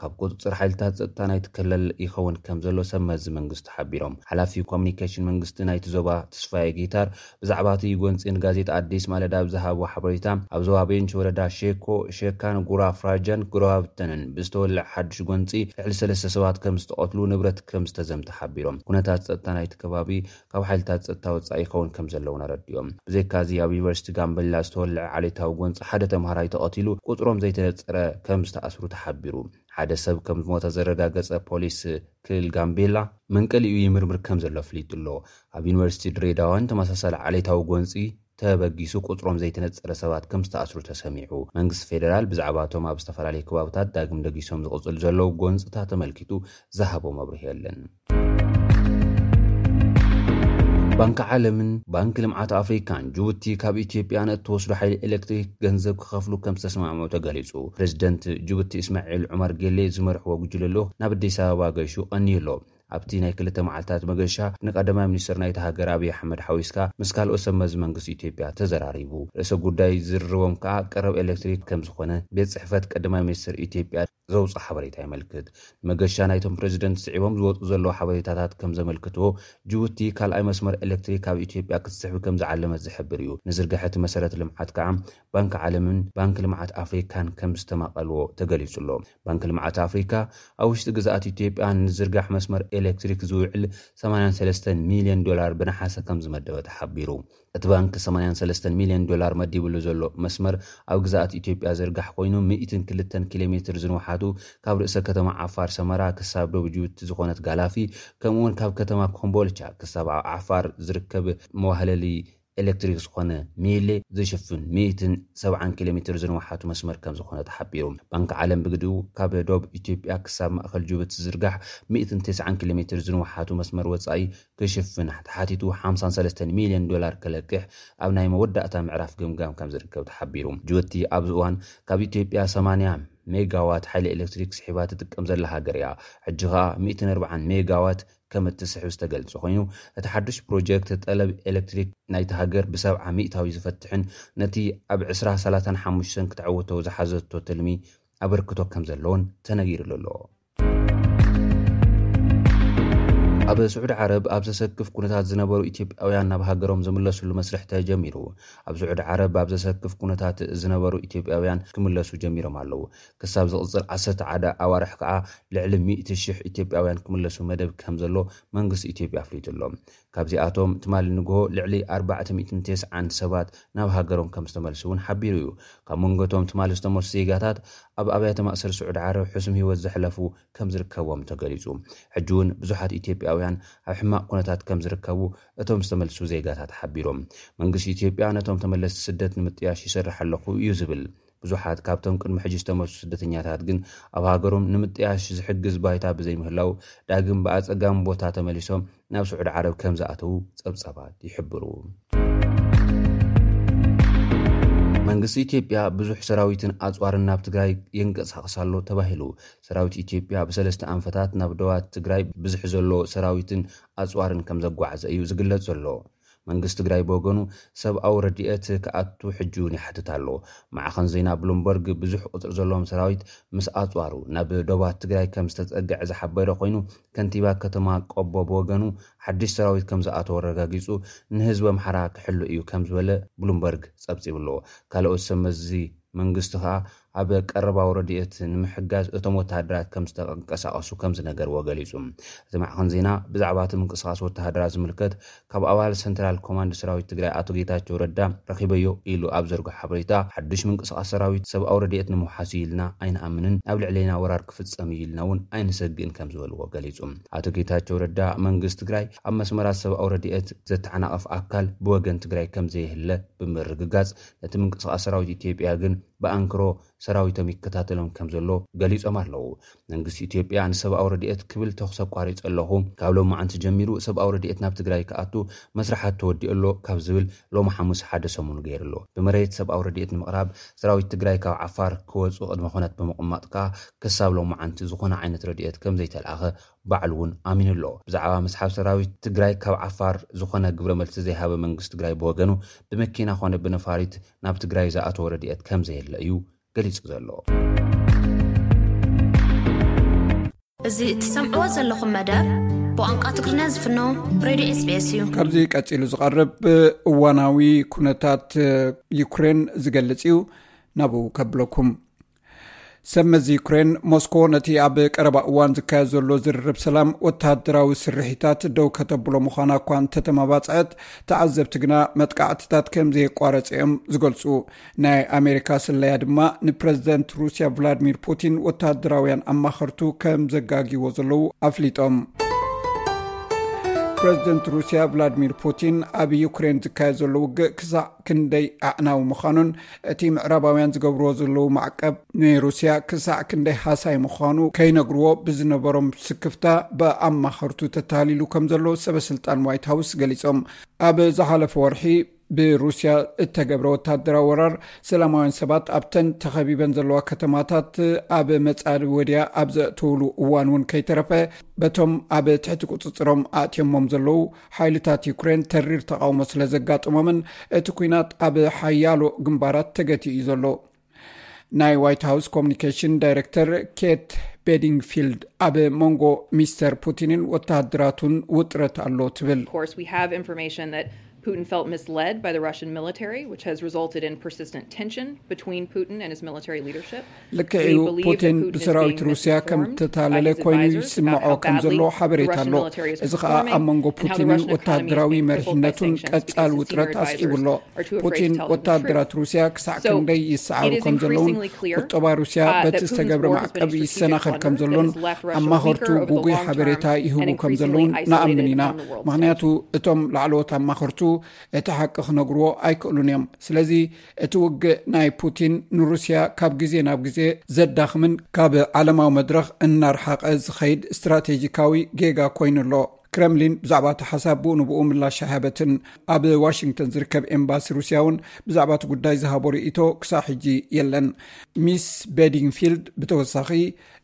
ካብ ቁጽጽር ሓይልታት ጸጥታ ናይቲ ክልል ይኸውን ከም ዘሎ ሰብ መዚ መንግስቲ ሓቢሮም። ሓላፊ ኮሚኒኬሽን መንግስቲ ናይቲ ዞባ ተስፋዬ ጊታር ብዛዕባ እቲ ጎንጺ ንጋዜጣ ኣዲስ ማለዳ ኣብ ዝሃቦ ሓበሬታ፣ ኣብ ዞባ ቤንች ወረዳ ሼኮ፣ ሼካን፣ ጉራ ፍራጃን ጉራብተንን ብዝተወልዐ ሓዱሽ ጎንጺ ልዕሊ ሰለስተ ሰባት ከም ዝተቐትሉ፣ ንብረት ከም ዝተዘምተ ሓቢሮም። ኩነታት ጸጥታ ናይቲ ከባቢ ካብ ሓይልታት ጸጥታ ወጻኢ ይኸውን ከም ዘለውን ኣረዲኦም። ብዘይካዚ ኣብ ዩኒቨርሲቲ ጋምቤላ ዝተወልዐ ዓሌታዊ ጎንጺ ሓደ ተምሃራይ ተቐቲሉ፣ ቁጽሮም ዘይተነጸረ ከም ዝተኣስሩ ተሓቢሩ። ሓደ ሰብ ከም ዝሞተ ዘረጋገጸ ፖሊስ ክልል ጋምቤላ፣ መንቀሊኡ ይምርምር ከም ዘሎ ኣፍሊጡ ኣሎ። ኣብ ዩኒቨርሲቲ ድሬዳዋን ተመሳሳሊ ዓሌታዊ ጎንጺ ተበጊሱ ቁጽሮም ዘይተነጸረ ሰባት ከም ዝተኣስሩ ተሰሚዑ። መንግስቲ ፌደራል ብዛዕባ እቶም ኣብ ዝተፈላለዩ ከባብታት ዳግም ደጊሶም ዝቕጽሉ ዘለዉ ጎንጽታት ተመልኪቱ ዝሃቦ መብርሂ የለን። ባንኪ ዓለምን ባንኪ ልምዓት ኣፍሪካን ጅቡቲ ካብ ኢትዮጵያ ንእትወስዶ ሓይሊ ኤሌክትሪክ ገንዘብ ክኸፍሉ ከም ዝተስማዕምዑ ተገሊጹ። ፕሬዚደንት ጅቡቲ እስማዒል ዑመር ጌሌ ዝመርሕዎ ጉጅለ ልኡኽ ናብ ኣዲስ ኣበባ ገይሹ ቀንዩ ኣሎ። ኣብቲ ናይ ክልተ መዓልታት መገሻ ንቀዳማይ ሚኒስትር ናይቲ ሃገር ኣብይ ኣሕመድ ሓዊስካ ምስ ካልኦት ሰብ መዚ መንግስቲ ኢትዮጵያ ተዘራሪቡ። ርእሰ ጉዳይ ዝርርቦም ከኣ ቀረብ ኤሌክትሪክ ከም ዝኾነ ቤት ጽሕፈት ቀዳማይ ሚኒስትር ኢትዮጵያ ዘውፅኦ ሓበሬታ የመልክት። መገሻ ናይቶም ፕሬዚደንት ስዒቦም ዝወፁ ዘለዉ ሓበሬታታት ከም ዘመልክትዎ፣ ጅቡቲ ካልኣይ መስመር ኤሌክትሪክ ኣብ ኢትዮጵያ ክትስሕብ ከም ዝዓለመት ዝሕብር እዩ። ንዝርግሐ እቲ መሰረተ ልምዓት ከዓ ባንኪ ዓለምን ባንኪ ልምዓት ኣፍሪካን ከም ዝተማቐልዎ ተገሊጹ ኣሎ። ባንኪ ልምዓት ኣፍሪካ ኣብ ውሽጢ ግዝኣት ኢትዮጵያ ንዝርጋሕ መስመር ኤሌክትሪክ ዝውዕል ሰማንያን ሰለስተን ሚልዮን ዶላር ብነሓሰ ከም ዝመደበ ተሓቢሩ። እቲ ባንክ ሰማንያን ሰለስተን ሚልዮን ዶላር መዲብሉ ዘሎ መስመር ኣብ ግዛኣት ኢትዮጵያ ዝርጋሕ ኮይኑ፣ ሚእትን ክልተን ኪሎ ሜትር ዝንውሓቱ ካብ ርእሰ ከተማ ዓፋር ሰመራ ክሳብ ዶብ ጅቡቲ ዝኾነት ጋላፊ፣ ከምኡውን ካብ ከተማ ኮምቦልቻ ክሳብ ኣብ ዓፋር ዝርከብ መዋህለሊ ኤሌክትሪክ ዝኾነ ሚሌ ዝሽፍን ሚእትን ሰብዓን ኪሎ ሜትር ዝንውሓቱ መስመር ከም ዝኾነ ተሓቢሩ። ባንክ ዓለም ብግዲኡ ካብ ዶብ ኢትዮጵያ ክሳብ ማእከል ጅቡቲ ዝርጋሕ ሚእትን ተስዓን ኪሎ ሜትር ዝንውሓቱ መስመር ወጻኢ ክሽፍን ተሓቲቱ ሓምሳን ሰለስተን ሚልዮን ዶላር ከለቅሕ ኣብ ናይ መወዳእታ ምዕራፍ ግምጋም ከም ዝርከብ ተሓቢሩ። ጅቡቲ ኣብዚ እዋን ካብ ኢትዮጵያ ሰማንያ ሜጋዋት ሓይሊ ኤሌክትሪክ ስሒባ ትጥቀም ዘላ ሃገር እያ። ሕጂ ኸኣ ሚእትን ኣርብዓን ሜጋዋት ከም እትስሕብ ዝተገልጸ ኮይኑ፣ እቲ ሓዱሽ ፕሮጀክት ጠለብ ኤሌክትሪክ ናይቲ ሃገር ብሰብዓ ሚእታዊ ዝፈትሕን ነቲ ኣብ ዕስራ ሰላሳን ሓሙሽተን ክትዕወቶ ዝሓዘቶ ትልሚ ኣበርክቶ ከም ዘለዎን ተነጊሩሉ ኣሎ። ኣብ ስዑዲ ዓረብ ኣብ ዘሰክፍ ኩነታት ዝነበሩ ኢትዮጵያውያን ናብ ሃገሮም ዝምለሱሉ መስርሕ ተጀሚሩ። ኣብ ስዑዲ ዓረብ ኣብ ዘሰክፍ ኩነታት ዝነበሩ ኢትዮጵያውያን ክምለሱ ጀሚሮም ኣለዉ። ክሳብ ዝቕጽል ዓሰርተ ሓደ ኣዋርሕ ከኣ ልዕሊ ሚእቲ ሽሕ ኢትዮጵያውያን ክምለሱ መደብ ከም ዘሎ መንግስቲ ኢትዮጵያ ኣፍሊጡ ኣሎ። ካብዚኣቶም ትማሊ ንግሆ ልዕሊ ኣርባዕተ ሚእትን ተስዓን ሰባት ናብ ሃገሮም ከም ዝተመልሱ እውን ሓቢሩ እዩ። ካብ መንጎ እቶም ትማሊ ዝተመልሱ ዜጋታት ኣብ ኣብያተ ማእሰር ስዑዲ ዓረብ ሕሱም ህይወት ዘሕለፉ ከም ዝርከቦም ተገሊጹ። ሕጂ እውን ብዙሓት ኢትዮጵያውያን ኣብ ሕማቕ ኩነታት ከም ዝርከቡ እቶም ዝተመልሱ ዜጋታት ሓቢሮም። መንግስቲ ኢትዮጵያ ነቶም ተመለስቲ ስደት ንምጥያሽ ይሰርሕ ኣለኹ እዩ ዝብል። ብዙሓት ካብቶም ቅድሚ ሕጂ ዝተመልሱ ስደተኛታት ግን ኣብ ሃገሮም ንምጥያሽ ዝሕግዝ ባይታ ብዘይምህላው ዳግም ብኣጸጋሚ ቦታ ተመሊሶም ናብ ስዑዲ ዓረብ ከም ዝኣተዉ ጸብጻባት ይሕብሩ። መንግስቲ ኢትዮጵያ ብዙሕ ሰራዊትን ኣጽዋርን ናብ ትግራይ የንቀሳቕስ ኣሎ ተባሂሉ። ሰራዊት ኢትዮጵያ ብሰለስተ ኣንፈታት ናብ ዶባት ትግራይ ብዝሒ ዘሎ ሰራዊትን ኣጽዋርን ከም ዘጓዓዘ እዩ ዝግለጽ ዘሎ። መንግስቲ ትግራይ ብወገኑ ሰብኣዊ ረድኤት ክኣቱ ሕጂ እውን ይሓትት ኣሎ። ማዕኸን ዜና ብሉምበርግ ብዙሕ ቁፅሪ ዘለዎም ሰራዊት ምስ ኣፅዋሩ ናብ ዶባት ትግራይ ከም ዝተፀግዐ ዝሓበረ ኮይኑ፣ ከንቲባ ከተማ ቆቦ ብወገኑ ሓድሽ ሰራዊት ከም ዝኣተወ ኣረጋጊፁ፣ ንህዝቢ ኣምሓራ ክሕሉ እዩ ከም ዝበለ ብሉምበርግ ፀብፂቡ ኣሎ። ካልኦት ሰብ መዚ መንግስቲ ከኣ ኣብ ቀረባዊ ረድኤት ንምሕጋዝ እቶም ወተሃደራት ከም ዝተንቀሳቐሱ ከም ዝነገርዎ ገሊጹ። እቲ ማዕኸን ዜና ብዛዕባ እቲ ምንቅስቓስ ወተሃደራት ዝምልከት ካብ ኣባል ሰንትራል ኮማንድ ሰራዊት ትግራይ ኣቶ ጌታቸው ረዳ ረኺበዮ ኢሉ ኣብ ዘርግሖ ሓበሬታ፣ ሓድሽ ምንቅስቓስ ሰራዊት ሰብኣዊ ረድኤት ንምውሓስ እዩ ኢልና ኣይንኣምንን፣ ኣብ ልዕሌና ወራር ክፍጸም እዩ ኢልና እውን ኣይንሰግእን ከም ዝበልዎ ገሊጹ። ኣቶ ጌታቸው ረዳ መንግስቲ ትግራይ ኣብ መስመራት ሰብኣዊ ረድኤት ዘተዓናቕፍ ኣካል ብወገን ትግራይ ከም ዘየህለ ብምርግጋጽ፣ ነቲ ምንቅስቓስ ሰራዊት ኢትዮጵያ ግን ብኣንክሮ ሰራዊቶም ይከታተሎም ከም ዘሎ ገሊጾም ኣለዉ። መንግስቲ ኢትዮጵያ ንሰብኣዊ ረድኤት ክብል ተኹሲ ኣቋሪጸ ኣለኹ፣ ካብ ሎማዓንቲ ጀሚሩ ሰብኣዊ ረድኤት ናብ ትግራይ ክኣቱ መስርሓት ተወዲኡ ኣሎ ካብ ዝብል ሎሚ ሓሙስ ሓደ ሰሙን ገይሩ ኣሎ። ብመሬት ሰብኣዊ ረድኤት ንምቕራብ ሰራዊት ትግራይ ካብ ዓፋር ክወፁ ቅድመ ኩነት ብምቕማጥ ከኣ ክሳብ ሎማዓንቲ ዝኾነ ዓይነት ረድኤት ከም ዘይተልኣኸ ባዕሉ እውን ኣሚኑ ኣሎ። ብዛዕባ ምስሓብ ሰራዊት ትግራይ ካብ ዓፋር ዝኾነ ግብረ መልሲ ዘይሃበ መንግስቲ ትግራይ ብወገኑ ብመኪና ኮነ ብነፋሪት ናብ ትግራይ ዝኣተወ ረድኤት ከም ዘየለ እዩ ገሊጹ ዘሎ። እዚ እትሰምዕዎ ዘለኹም መደብ ብቋንቋ ትግርኛ ዝፍኖ ሬድዮ ኤስቢኤስ እዩ። ካብዚ ቀጺሉ ዝቐርብ እዋናዊ ኩነታት ዩክሬን ዝገልጽ እዩ። ናብኡ ከብለኩም። ሰብ መዚ ዩክሬን፣ ሞስኮ ነቲ ኣብ ቀረባ እዋን ዝካየድ ዘሎ ዝርርብ ሰላም ወተሃደራዊ ስርሒታት ደው ከተብሎ ምዃና እኳ እንተተመባጽዐት፣ ተዓዘብቲ ግና መጥቃዕትታት ከም ዘየቋረጸ እዮም ዝገልጹ። ናይ ኣሜሪካ ስለያ ድማ ንፕረዚደንት ሩስያ ቭላድሚር ፑቲን ወተሃደራውያን ኣማኸርቱ ከም ዘጋግይዎ ዘለዉ ኣፍሊጦም። ፕረዚደንት ሩስያ ቭላድሚር ፑቲን ኣብ ዩክሬን ዝካየድ ዘሎ ውግእ ክሳዕ ክንደይ ኣዕናዊ ምዃኑን እቲ ምዕራባውያን ዝገብርዎ ዘለዉ ማዕቀብ ንሩስያ ክሳዕ ክንደይ ሃሳይ ምዃኑ ከይነግርዎ ብዝነበሮም ስክፍታ ብኣማኸርቱ ተታሊሉ ከም ዘሎ ሰበ ስልጣን ዋይት ሃውስ ገሊጾም። ኣብ ዝሓለፈ ወርሒ ብሩስያ እተገብረ ወታደራዊ ወራር ሰላማውያን ሰባት ኣብተን ተኸቢበን ዘለዋ ከተማታት ኣብ መጻዲ ወድያ ኣብ ዘእተውሉ እዋን እውን ከይተረፈ በቶም ኣብ ትሕቲ ቁጽጽሮም ኣእትዮሞም ዘለዉ ሓይልታት ዩክሬን ተሪር ተቓውሞ ስለ ዘጋጠሞምን እቲ ኲናት ኣብ ሓያሎ ግንባራት ተገቲኡ እዩ ዘሎ። ናይ ዋይት ሃውስ ኮሙኒኬሽን ዳይረክተር ኬት ቤዲንግፊልድ ኣብ መንጎ ሚስተር ፑቲንን ወተሃደራቱን ውጥረት ኣሎ ትብል። Putin felt misled by the Russian military, which has resulted in persistent tension between Putin and his military leadership. ልክዕ እዩ። ፑቲን ብሰራዊት ሩስያ ከም ተታለለ ኮይኑ ይስምዖ ከም ዘሎ ሓበሬታ ኣሎ። እዚ ከዓ ኣብ መንጎ ፑቲንን ወታደራዊ መሪሕነቱን ቀጻል ውጥረት ኣስዒቡ ኣሎ። ፑቲን ወታደራት ሩስያ ክሳዕ ክንደይ ይሰዓሩ ከም ዘለውን ቁጠባ ሩስያ በቲ ዝተገብረ ማዕቀብ ይሰናኸል ከም ዘሎን ኣማኸርቱ ጉጉይ ሓበሬታ ይህቡ ከም ዘለውን ንኣምን ኢና። ምክንያቱ እቶም ላዕለዎት ኣማኸርቱ እቲ ሓቂ ክነግርዎ ኣይክእሉን እዮም። ስለዚ እቲ ውግእ ናይ ፑቲን ንሩስያ ካብ ግዜ ናብ ግዜ ዘዳኽምን ካብ ዓለማዊ መድረኽ እናርሓቐ ዝኸይድ ስትራቴጂካዊ ጌጋ ኮይኑ ኣሎ። ክረምሊን ብዛዕባ እቲ ሓሳብ ብኡ ንብኡ ምላሽ ኣይሃበትን። ኣብ ዋሽንግተን ዝርከብ ኤምባሲ ሩስያ እውን ብዛዕባ እቲ ጉዳይ ዝሃቦ ርእይቶ ክሳብ ሕጂ የለን። ሚስ ቤዲንግፊልድ ብተወሳኺ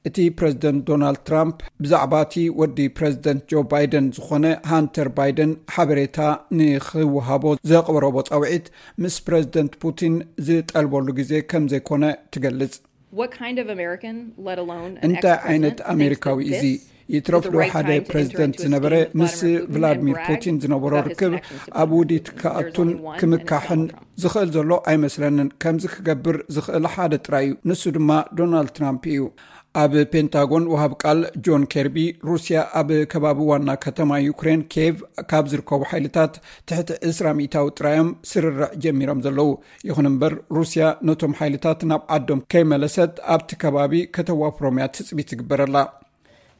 እቲ ፕረዚደንት ዶናልድ ትራምፕ ብዛዕባ እቲ ወዲ ፕረዚደንት ጆ ባይደን ዝኾነ ሃንተር ባይደን ሓበሬታ ንክወሃቦ ዘቕረቦ ጻውዒት ምስ ፕረዚደንት ፑቲን ዝጠልበሉ ግዜ ከም ዘይኮነ ትገልጽ። What kind of American, let alone an እንታይ ዓይነት ex-president, thinks ኣሜሪካዊ that እዚ? this ይትረፍ is the ዶ right ሓደ time to enter ፕረዚደንት into a ዝነበረ scheme with ምስ Vladimir Putin and ቭላድሚር brag ፑቲን ዝነበሮ about his ርክብ connections with ኣብ Putin? ውዲት There's ክኣቱን only one, and it's ክምካሕን Donald Trump. ዝኽእል ዘሎ ኣይመስለንን። ከምዚ ክገብር ዝኽእል ሓደ ጥራይ እዩ፣ ንሱ ድማ ዶናልድ ትራምፕ እዩ። ኣብ ፔንታጎን ወሃብ ቃል ጆን ኬርቢ፣ ሩስያ ኣብ ከባቢ ዋና ከተማ ዩክሬን ኬቭ ካብ ዝርከቡ ሓይልታት ትሕቲ ዕስራ ሚእታዊ ጥራዮም ስርርዕ ጀሚሮም ዘለዉ። ይኹን እምበር ሩስያ ነቶም ሓይልታት ናብ ዓዶም ከይመለሰት ኣብቲ ከባቢ ከተዋፍሮም እያ ትጽቢት ዝግበረላ።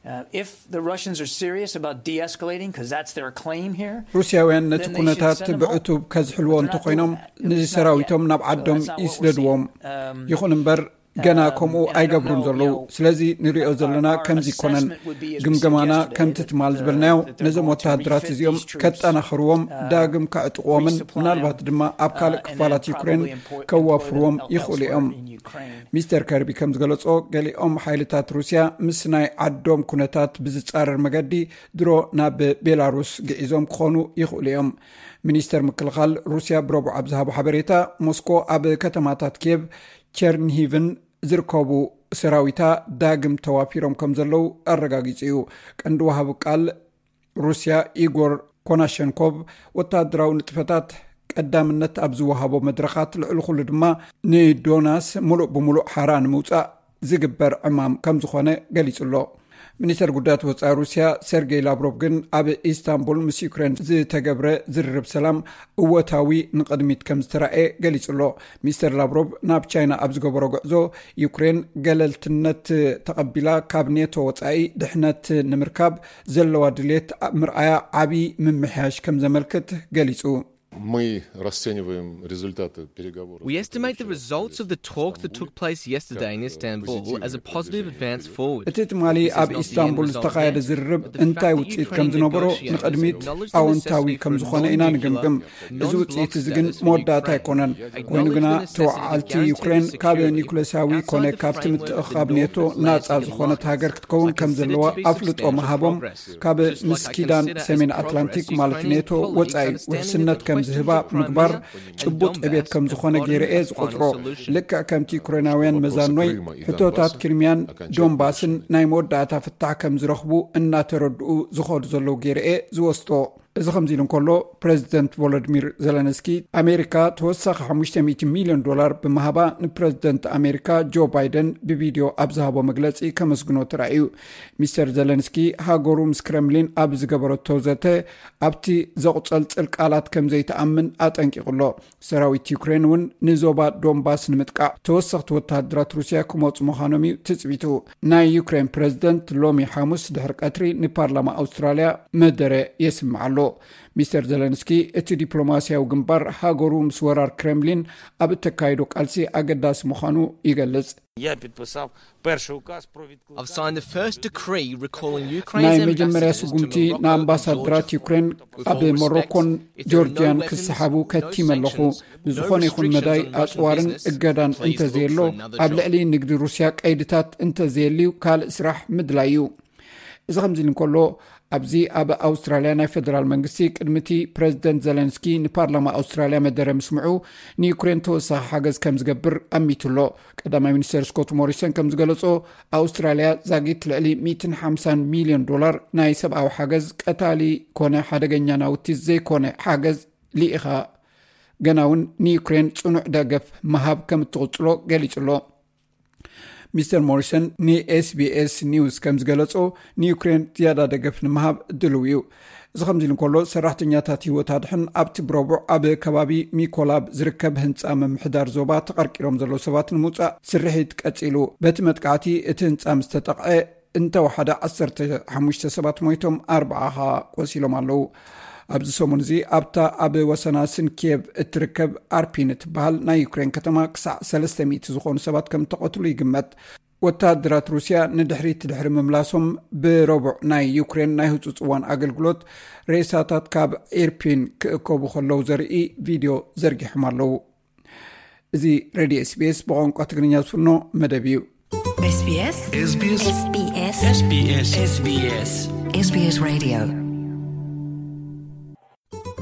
Uh, if the Russians are serious about de-escalating, because that's their claim here, ሩስያውያን ነቲ then they should ኩነታት send them ብዕቱብ ከዝሕልዎ እንተኾይኖም ንሰራዊቶም ናብ ዓዶም ይስደድዎም። ይኹን እምበር ገና ከምኡ ኣይገብሩን ዘለዉ። ስለዚ ንሪኦ ዘለና ከምዚ ይኮነን። ግምገማና ከምቲ ትማል ዝበልናዮ ነዞም ወታደራት እዚኦም ከጠናኽርዎም፣ ዳግም ከዕጥቕዎምን ምናልባት ድማ ኣብ ካልእ ክፋላት ዩክሬን ከዋፍርዎም ይኽእሉ እዮም። ሚስተር ከርቢ ከም ዝገለጾ፣ ገሊኦም ሓይልታት ሩስያ ምስ ናይ ዓዶም ኩነታት ብዝጻረር መገዲ ድሮ ናብ ቤላሩስ ግዒዞም ክኾኑ ይኽእሉ እዮም። ሚኒስተር ምክልኻል ሩስያ ብረቡዕ ኣብ ዝሃቦ ሓበሬታ፣ ሞስኮ ኣብ ከተማታት ኪየቭ፣ ቸርንሂቭን ዝርከቡ ሰራዊታ ዳግም ተዋፊሮም ከም ዘለዉ ኣረጋጊጹ እዩ። ቀንዲ ወሃቢ ቃል ሩስያ ኢጎር ኮናሸንኮቭ፣ ወታደራዊ ንጥፈታት ቀዳምነት ኣብ ዝወሃቦ መድረኻት፣ ልዕሊ ኩሉ ድማ ንዶናስ ሙሉእ ብሙሉእ ሓራ ንምውጻእ ዝግበር ዕማም ከም ዝኾነ ገሊጹ ኣሎ። ሚኒስተር ጉዳያት ወጻኢ ሩስያ ሰርጌይ ላቭሮቭ ግን ኣብ ኢስታንቡል ምስ ዩክሬን ዝተገብረ ዝርርብ ሰላም እወታዊ ንቕድሚት ከም ዝተራእየ ገሊጹ ኣሎ። ሚስተር ላቭሮቭ ናብ ቻይና ኣብ ዝገበሮ ጉዕዞ፣ ዩክሬን ገለልትነት ተቐቢላ ካብ ኔቶ ወጻኢ ድሕነት ንምርካብ ዘለዋ ድሌት ምርኣያ ዓቢ ምምሕያሽ ከም ዘመልክት ገሊጹ። Мы расцениваем результаты переговоров. We estimate the results of the talks that took place yesterday in Istanbul as a positive advance forward. እቲ ትማሊ ኣብ ኢስታንቡል ዝተኻየደ ዝርርብ እንታይ ውፅኢት ከም ዝነበሮ ንቕድሚት ኣወንታዊ ከም ዝኾነ ኢና ንግምግም። እዚ ውፅኢት እዚ ግን መወዳእታ ኣይኮነን። ኮይኑ ግና ተወዓዓልቲ ዩክሬን ካብ ኒኩለሳዊ ኮነ ካብቲ ምትእኻብ ኔቶ ናፃ ዝኾነት ሃገር ክትከውን ከም ዘለዋ ኣፍልጦ ምሃቦም፣ ካብ ምስ ኪዳን ሰሜን ኣትላንቲክ ማለት ኔቶ ወጻኢ ውሕስነት ከም ዝህባ ምግባር ጭቡጥ ዕቤት ከም ዝኾነ ገይረ እየ ዝቆጽሮ። ልክዕ ከምቲ ዩክሬናውያን መዛኖይ፣ ሕቶታት ክሪሚያን ዶንባስን ናይ መወዳእታ ፍታሕ ከም ዝረኽቡ እናተረድኡ ዝኸዱ ዘለዉ ገይረ እየ ዝወስዶ። እዚ ከምዚ ኢሉ እንከሎ፣ ፕረዚደንት ቮሎዲሚር ዘለንስኪ፣ ኣሜሪካ ተወሳኺ ሓሙሽተ ሚእቲ ሚልዮን ዶላር ብምሃባ ንፕረዚደንት ኣሜሪካ ጆ ባይደን ብቪድዮ ኣብ ዝሃቦ መግለጺ ከመስግኖ ተራእዩ። ሚስተር ዘለንስኪ፣ ሃገሩ ምስ ክረምሊን ኣብ ዝገበረቶ ዘተ፣ ኣብቲ ዘቑጸልጽል ቃላት ከም ዘይትኣምን ኣጠንቂቑ ኣሎ። ሰራዊት ዩክሬን እውን ንዞባ ዶንባስ ንምጥቃዕ ተወሰኽቲ ወተሃደራት ሩስያ ክመጹ ምዃኖም እዩ ትጽቢቱ። ናይ ዩክሬን ፕረዚደንት ሎሚ ሓሙስ ድሕሪ ቀትሪ ንፓርላማ ኣውስትራልያ መደረ የስምዕ ኣሎ። ሚስተር ዘለንስኪ፣ እቲ ዲፕሎማስያዊ ግንባር ሃገሩ ምስ ወራር ክሬምሊን ኣብ እተካይዶ ቃልሲ ኣገዳሲ ምዃኑ ይገልጽ። Я підписав перший указ про відкликання. I've signed the first decree recalling ናይ Ukraine's መጀመርያ ambassadors to ስጉምቲ Morocco and ንኣምባሳደራት Georgia. ዩክሬን ኣብ ሞሮኮን ጆርጅያን ክሰሓቡ ከቲመ ኣለኹ። ብዝኾነ ይኹን መዳይ ኣጽዋርን እገዳን እንተዘየሎ፣ ኣብ ልዕሊ ንግዲ ሩስያ ቀይድታት እንተዘየልዩ ካልእ ስራሕ ምድላይ እዩ። እዚ ከምዚ ኢሉ እንከሎ፣ ኣብዚ ኣብ ኣውስትራልያ ናይ ፈደራል መንግስቲ ቅድሚ እቲ ፕረዚደንት ዘለንስኪ ንፓርላማ ኣውስትራልያ መደረ ምስምዑ፣ ንዩክሬን ተወሳኺ ሓገዝ ከም ዝገብር ኣሚቱ ኣሎ። ቀዳማይ ሚኒስተር ስኮት ሞሪሰን ከም ዝገለጾ፣ ኣውስትራልያ ዛጊት ልዕሊ ሚእትን ሓምሳን ሚልዮን ዶላር ናይ ሰብኣዊ ሓገዝ፣ ቀታሊ ኮነ ሓደገኛ ናውቲ ዘይኮነ ሓገዝ ልኢኻ፣ ገና እውን ንዩክሬን ጽኑዕ ደገፍ ምሃብ ከም እትቕጽሎ ገሊጹ ኣሎ። ሚስተር ሞሪሰን ንኤስቢኤስ ኒውስ ከም ዝገለጾ፣ ንዩክሬን ዝያዳ ደገፍ ንምሃብ ድልው እዩ። እዚ ከምዚ ኢሉ እንከሎ፣ ሰራሕተኛታት ህይወት ኣድሕን ኣብቲ ብረቡዕ ኣብ ከባቢ ሚኮላብ ዝርከብ ህንጻ ምምሕዳር ዞባ ተቐርቂሮም ዘለዉ ሰባት ንምውጻእ ስርሒት ቀጺሉ። በቲ መጥቃዕቲ እቲ ህንጻ ምስ ተጠቕዐ፣ እንተወሓደ ዓሰርተ ሓሙሽተ ሰባት ሞይቶም፣ ኣርብዓ ኸኣ ቆሲሎም ኣለዉ። ኣብዚ ሰሙን እዚ ኣብታ ኣብ ወሰናስን ኪየቭ እትርከብ ኣርፒን እትበሃል ናይ ዩክሬን ከተማ ክሳዕ ሰለስተ ሚእቲ ዝኾኑ ሰባት ከም ተቐትሉ ይግመት። ወተሃደራት ሩስያ ንድሕሪት ድሕሪ ምምላሶም፣ ብረቡዕ ናይ ዩክሬን ናይ ህጹጽ እዋን ኣገልግሎት ሬሳታት ካብ ኢርፒን ክእከቡ ከለዉ ዘርኢ ቪድዮ ዘርጊሖም ኣለዉ። እዚ ሬድዮ ኤስቢኤስ ብቋንቋ ትግርኛ ዝፍኖ መደብ እዩ። SBS SBS SBS SBS SBS SBS Radio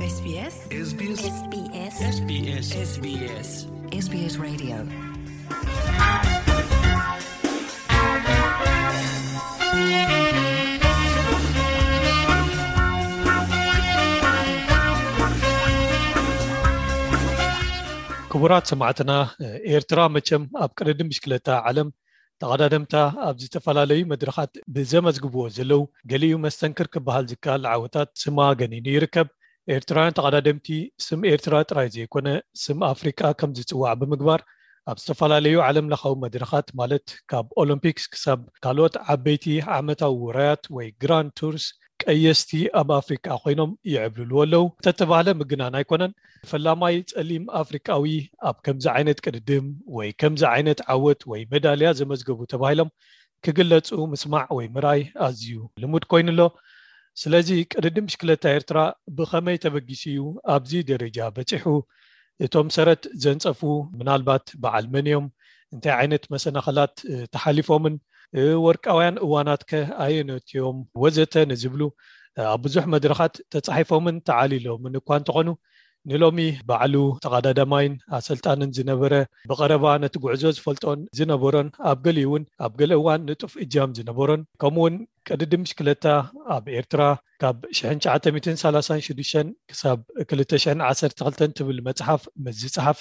SBS SBS SBS SBS SBS Radio ክቡራት ሰማዕትና፣ ኤርትራ መቸም ኣብ ቅድድም ብሽክለታ ዓለም ተቐዳደምታ ኣብ ዝተፈላለዩ መድረኻት ብዘመዝግብዎ ዘለዉ፣ ገሊኡ መስተንክር ክበሃል ዝከኣል ዓወታት ስማ ገኒኑ ይርከብ። ኤርትራውያን ተቐዳደምቲ ስም ኤርትራ ጥራይ ዘይኮነ፣ ስም ኣፍሪቃ ከም ዝጽዋዕ ብምግባር፣ ኣብ ዝተፈላለዩ ዓለም ለኻዊ መድረኻት፣ ማለት ካብ ኦሎምፒክስ ክሳብ ካልኦት ዓበይቲ ዓመታዊ ውራያት ወይ ግራንድ ቱርስ፣ ቀየስቲ ኣብ ኣፍሪቃ ኮይኖም ይዕብልልዎ ኣለዉ። እንተተባህለ ምግናን ኣይኮነን። ፈላማይ ጸሊም ኣፍሪቃዊ ኣብ ከምዚ ዓይነት ቅድድም ወይ ከምዚ ዓይነት ዓወት ወይ ሜዳልያ ዘመዝገቡ ተባሂሎም ክግለጹ ምስማዕ ወይ ምርኣይ ኣዝዩ ልሙድ ኮይኑ ኣሎ። ስለዚ ቅድድም ብሽክለታ ኤርትራ ብኸመይ ተበጊሱ እዩ ኣብዚ ደረጃ በጺሑ? እቶም ሰረት ዘንጸፉ ምናልባት በዓል መን እዮም? እንታይ ዓይነት መሰናኸላት፣ እ፣ ተሓሊፎምን፣ እ፣ ወርቃውያን እዋናት ከ ኣየኖት እዮም? ወዘተ ንዝብሉ፣ እ፣ ኣብ ብዙሕ መድረኻት ተጻሒፎምን ተዓሊሎምን እኳ እንተኾኑ፣ ንሎሚ ባዕሉ ተቐዳዳማይን ኣሰልጣንን ዝነበረ፣ ብቐረባ ነቲ ጉዕዞ ዝፈልጦን ዝነበሮን፣ ኣብ ገሊኡ እውን ኣብ ገለ እዋን ንጡፍ እጃም ዝነበሮን፣ ከምኡውን ቅድድም ብሽክለታ ኣብ ኤርትራ ካብ ሽሕን ትሽዓተ ሚእትን ሰላሳን ሽዱሽተን ክሳብ ክልተ ሽሕን ዓሰርተ ክልተን ትብል መጽሓፍ ምስ ዝጸሓፈ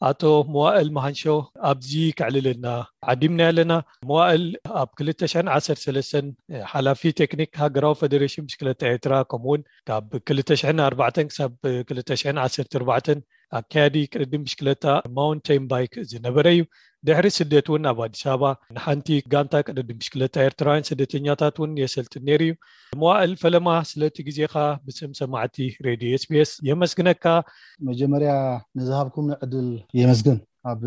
ኣቶ መዋእል መሃንሾ ኣብዚ ከዕልለና ዓዲምና ኣለና። መዋእል ኣብ ክልተ ሽሕን ዓሰርተ ሰለስተን ሓላፊ ቴክኒክ ሃገራዊ ፈደሬሽን ብሽክለታ ኤርትራ፣ ከምኡውን ካብ ክልተ ሽሕን ኣርባዕተን ክሳብ ክልተ ሽሕን ዓሰርተ ኣርባዕተን ኣካያዲ ቅድድም ብሽክለታ ማውንቴን ባይክ ዝነበረ እዩ። ድሕሪ ስደት እውን ኣብ ኣዲስ ኣበባ ንሓንቲ ጋንታ ቅድድም ብሽክለታ ኤርትራውያን ስደተኛታት እውን የሰልጥን ነይሩ እዩ። መዋእል፣ ፈለማ ስለቲ ግዜኻ ብስም ሰማዕቲ ሬድዮ ኤስቢኤስ የመስግነካ። መጀመርያ ንዝሃብኩምኒ ዕድል የመስግን። ኣብ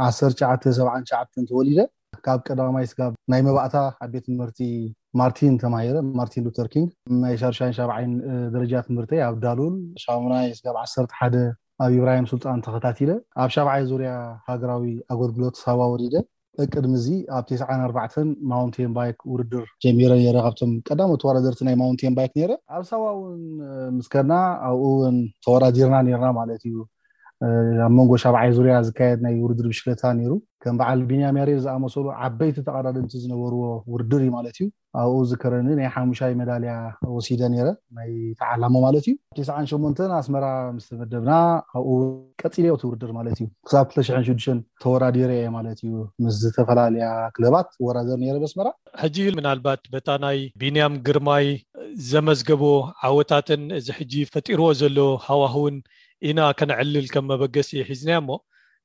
ዓሰርተ ትሽዓተ ሰብዓን ትሽዓተን ተወሊደ፣ ካብ ቀዳማይ ስጋብ ናይ መባእታ ኣብ ቤት ትምህርቲ ማርቲን ተማሂረ፣ ማርቲን ሉተር ኪንግ። ናይ ሻድሻይን ሻብዓይን፣ እ፣ ደረጃ ትምህርተይ ኣብ ዳሉል፣ ሻሙናይ ስጋብ ዓሰርተ ሓደ ኣብ ኢብራሂም ሱልጣን ተኸታቲለ። ኣብ ሻብዓይ ዙርያ ሃገራዊ ኣገልግሎት ሳዋ ወሪደ። ቅድሚ እዚ ኣብ ተስዓን ኣርባዕተን ማውንቴን ባይክ ውድድር ጀሚረ ነይረ። ካብቶም ቀዳሞት ተወዳደርቲ ናይ ማውንቴን ባይክ ነይረ። ኣብ ሳዋ እውን፣ እ፣ ምስ ከድና ኣብኡ እውን ተወዳዲርና ነይርና ማለት እዩ። እ፣ ኣብ መንጎ ሻብዓይ ዙርያ ዝካየድ ናይ ውድድር ብሽክለታ ነይሩ። ከም በዓል ቢንያም ያሬድ ዝኣመሰሉ ዓበይቲ ተቐዳደምቲ ዝነበርዎ ውድድር እዩ ማለት እዩ። ኣብኡ ዝከረኒ ናይ ሓሙሻይ ሜዳልያ ወሲደ ነይረ፣ ናይ ተዓላሞ ማለት እዩ። ተስዓን ሸሞንተን ኣስመራ ምስ ተመደብና፣ ኣብኡ ቀጺለ እቲ ውድድር ማለት እዩ። ክሳብ ክልተ ሽሕን ሽዱሽተን ተወዳዲረ እየ ማለት እዩ። ምስ ዝተፈላለያ ክለባት እወዳደር ነይረ በስመራ። ሕጂ ምናልባት በታ ናይ ቢንያም ግርማይ ዘመዝገቦ ዓወታትን እዚ ሕጂ ፈጢርዎ ዘሎ ሃዋህውን ኢና ከነዕልል ከም መበገሲ ሒዝናያ እሞ፣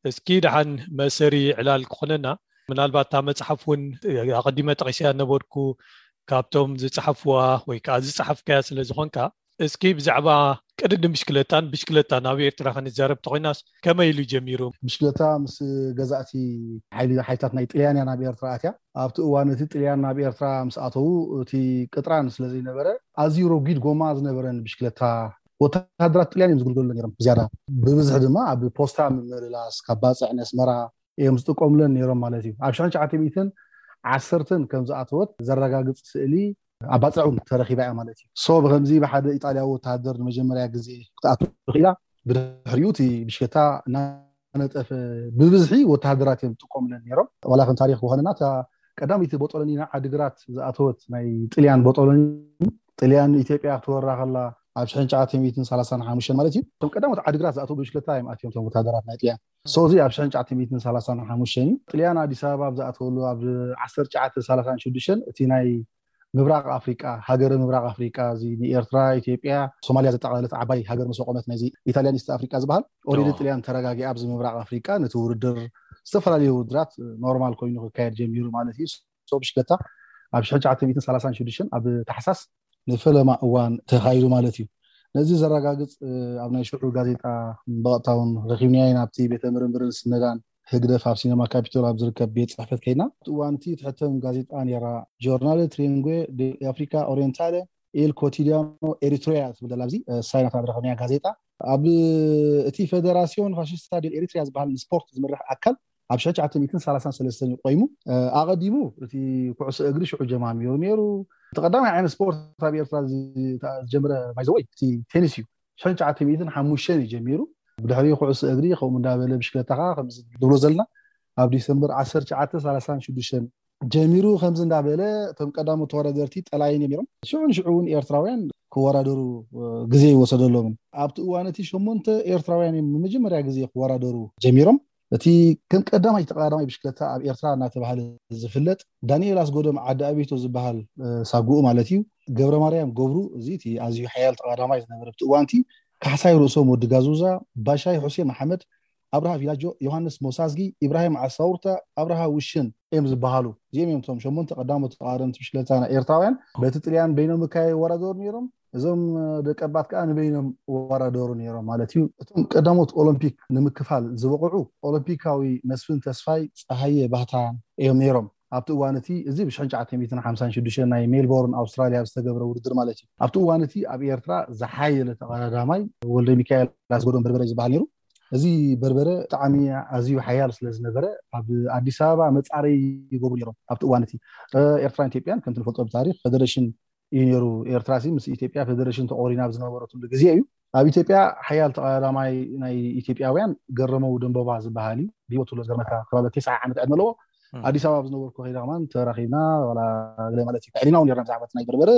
እስኪ ደሓን መእሰሪ ዕላል ክኾነና፣ ምናልባት እታ መጽሓፍ እውን ኣቐዲመ ጠቒሰያ ነበርኩ፣ ካብቶም ዝጸሓፍዋ ወይ ከኣ ዝጸሓፍካያ ስለ ዝኾንካ፣ እስኪ ብዛዕባ ቅድድም ብሽክለታን ብሽክለታን ኣብ ኤርትራ ክንዛረብ ተኾይናስ ከመይ ኢሉ ጀሚሩ? ብሽክለታ ምስ ገዛእቲ ሓይሊ፣ ሓይልታት ናይ ጥልያን እያ ናብ ኤርትራ ኣትያ። ኣብቲ እዋን እቲ ጥልያን ናብ ኤርትራ ምስ ኣተዉ፣ እቲ ቅጥራን ስለ ዘይነበረ፣ ኣዝዩ ረጒድ ጎማ ዝነበረን ብሽክለታ፣ ወተሃደራት ጥልያን እዮም ዝግልገሉ ነይሮም ብዝያዳ። ብብዝሒ ድማ ኣብ ፖስታ ምምልላስ፣ ካብ ባጽዕ ነስመራ እዮም ዝጥቀሙለን ነይሮም ማለት እዩ። ኣብ ሽሕን ትሽዓተ ሚእትን ዓሰርተን ከም ዝኣተወት ዘረጋግጽ ስእሊ ኣብ ባጽዕ እውን ተረኺባ እያ ማለት እዩ። ሶ ብከምዚ ብሓደ ኢጣልያዊ ወተሃደር ንመጀመርያ ግዜ ክትኣቱ ክኢላ። ብድሕሪኡ እቲ ብሽክለታ እናነጠፈ፣ ብብዝሒ ወተሃደራት እዮም ዝጥቀሙለን ነይሮም። ዋላ ከም ታሪኽ ክኾነና፣ እታ ቀዳመይቲ ቦጦሎኒ ናብ ዓዲግራት ዝኣተወት ናይ ጥልያን ቦጦሎኒ፣ ጥልያን ኢትዮጵያ ክትወራ ከላ ኣብ ሽሕን ትሽዓተ ሚእትን ሰላሳን ሓሙሽተን ማለት እዩ። እቶም ቀዳሞት ዓድግራት ዝኣተው ብሽክለታ እዮም ኣትዮም፣ እቶም ወታደራት ናይ ጥልያን። ሶ እዚ ኣብ ሽሕን ትሽዓተ ሚእትን ሰላሳን ሓሙሽተን እዩ። ጥልያን ኣዲስ ኣበባ ኣብ ዝኣተወሉ ኣብ ዓሰርተ ትሽዓተ ሰላሳን ሽዱሽተን እቲ ናይ ምብራቕ ኣፍሪቃ፣ ሃገረ ምብራቕ ኣፍሪቃ፣ እዚ ንኤርትራ፣ ኢትዮጵያ፣ ሶማልያ ዘጠቓለለት ዓባይ ሃገር ምስ ኣቆመት፣ ናይዚ ኢታልያን ኢስት ኣፍሪቃ ዝበሃል፣ ኦሬዲ ጥልያን ተረጋጊ ኣብዚ ምብራቕ ኣፍሪቃ ነቲ ውድድር፣ ዝተፈላለዩ ውድድራት ኖርማል ኮይኑ ክካየድ ጀሚሩ ማለት እዩ። ሶ ብሽክለታ ኣብ ሽሕን ትሽዓተ ሚእትን ሰላሳን ሽዱሽተን ኣብ ታሕሳስ ንፈለማ እዋን ተኻይዱ ማለት እዩ። ነዚ ዘረጋግጽ ኣብ ናይ ሽዑ ጋዜጣ ብቐጥታ እውን ረኺብናዮ ኢና። ኣብቲ ቤተ ምርምርን ስነዳን ህግደፍ ኣብ ሲነማ ካፒቶል ኣብ ዝርከብ ቤት ጽሕፈት ከይድና፣ ኣብቲ እዋን እቲ ትሕተም ጋዜጣ ነይራ፣ ጆርናለ ትሪንጌ ዴ ኣፍሪካ ኦሪየንታለ ኤል ኮቲዲያኖ ኤሪትሪያ ትብል ዘላ ኣብዚ ሳይናት ኣብ ረኸብናያ ጋዜጣ። ኣብ እቲ ፌደራሲዮን ፋሽስታ ዴል ኤሪትሪያ ዝበሃል ንስፖርት ዝምራሕ ኣካል ኣብ ሽሕን ትሽዓተ ሚእትን ሰላሳን ሰለስተን እዩ ቆይሙ። ኣቐዲሙ እቲ ኩዕሶ እግሪ ሽዑ ጀማሚሩ ነይሩ። እቲ ቀዳማይ ዓይነት ስፖርት ኣብ ኤርትራ ዝጀመረ ባይዘወይ እቲ ቴኒስ እዩ። ሽሕን ትሽዓተ ሚእትን ሓሙሽተን እዩ ጀሚሩ። ብድሕሪ ኩዕሶ እግሪ ከምኡ እንዳበለ ብሽክለታ ከዓ ከምዚ ንብሎ ዘለና ኣብ ዲሰምበር ዓሰርተ ትሽዓተ ሰላሳን ሽዱሽተን ጀሚሩ። ከምዚ እንዳበለ እቶም ቀዳሞት ተወዳደርቲ ጠላይን እዮም ነይሮም። ሽዑ ንሽዑ እውን ኤርትራውያን ክወዳደሩ ግዜ ይወሰደሎምን። ኣብቲ እዋን እቲ ሸሞንተ ኤርትራውያን እዮም ንመጀመርያ ግዜ ክወዳደሩ ጀሚሮም። እቲ ከም ቀዳማይ ተቐዳዳማይ ብሽክለታ ኣብ ኤርትራ እናተባህለ ዝፍለጥ ዳንኤል ኣስጎዶም ዓዲ ኣቤቶ ዝበሃል ሳጉኡ ማለት እዩ፣ ገብረ ማርያም ገብሩ፣ እዚ እቲ ኣዝዩ ሓያል ተቐዳማይ ዝነበረ ኣብቲ እዋንቲ፣ ካሕሳይ ርእሶም ወዲ ጋዙዛ፣ ባሻይ ሑሴን መሓመድ፣ ኣብርሃ ቪላጆ፣ ዮሃንስ ሞሳዝጊ፣ ኢብራሂም ዓሳውርታ፣ ኣብርሃ ውሽን እዮም ዝበሃሉ። እዚኦም እዮም እቶም ሸሞንተ ቀዳሞት ተቐዳደምቲ ብሽክለታ ናይ ኤርትራውያን። በቲ ጥልያን በይኖም እካ ይወዳደሩ ነይሮም። እዞም ደቀባት ከዓ ንበይኖም ይወዳደሩ ነይሮም ማለት እዩ። እቶም ቀዳሞት ኦሎምፒክ ንምክፋል ዝበቕዑ ኦሎምፒካዊ መስፍን ተስፋይ፣ ፀሃየ ባህታ እዮም ነይሮም። ኣብቲ እዋን እቲ፣ እዚ ብሽሕን ትሽዓተ ሚእትን ሓምሳን ሽዱሽተን ናይ ሜልቦርን ኣውስትራልያ ዝተገብረ ውድድር ማለት እዩ። ኣብቲ እዋን እቲ ኣብ ኤርትራ ዝሓየለ ተቐዳዳማይ ወልደ ሚካኤል ኣስጎዶም በርበረ ዝበሃል ነይሩ። እዚ በርበረ ብጣዕሚ ኣዝዩ ሓያል ስለ ዝነበረ ኣብ ኣዲስ ኣበባ መፃረይ ይገብሩ ነይሮም ኣብቲ እዋን እቲ። ኤርትራን ኢትዮጵያን ከምቲ ንፈልጦ ብታሪክ ፌደሬሽን እዩ ነይሩ። ኤርትራ ሲ ምስ ኢትዮጵያ ፌደሬሽን ተቆሪና ኣብ ዝነበረትሉ ግዜ እዩ። ኣብ ኢትዮጵያ ሓያል ተቐዳዳማይ ናይ ኢትዮጵያውያን ገረመው ደንቦባ ዝበሃል እዩ። ብህይወት ዘሎ ዝገርመካ ከባቢ ተስዓ ዓመት ዕድመ ኣለዎ። ኣዲስ ኣበባ ኣብ ዝነበርኩ ከይዳ ከማን ተራኺብና ዋላ ገለ ማለት እዩ። ኣዕሊና እውን ነርና ብዛዕባ እቲ ናይ በርበረ፣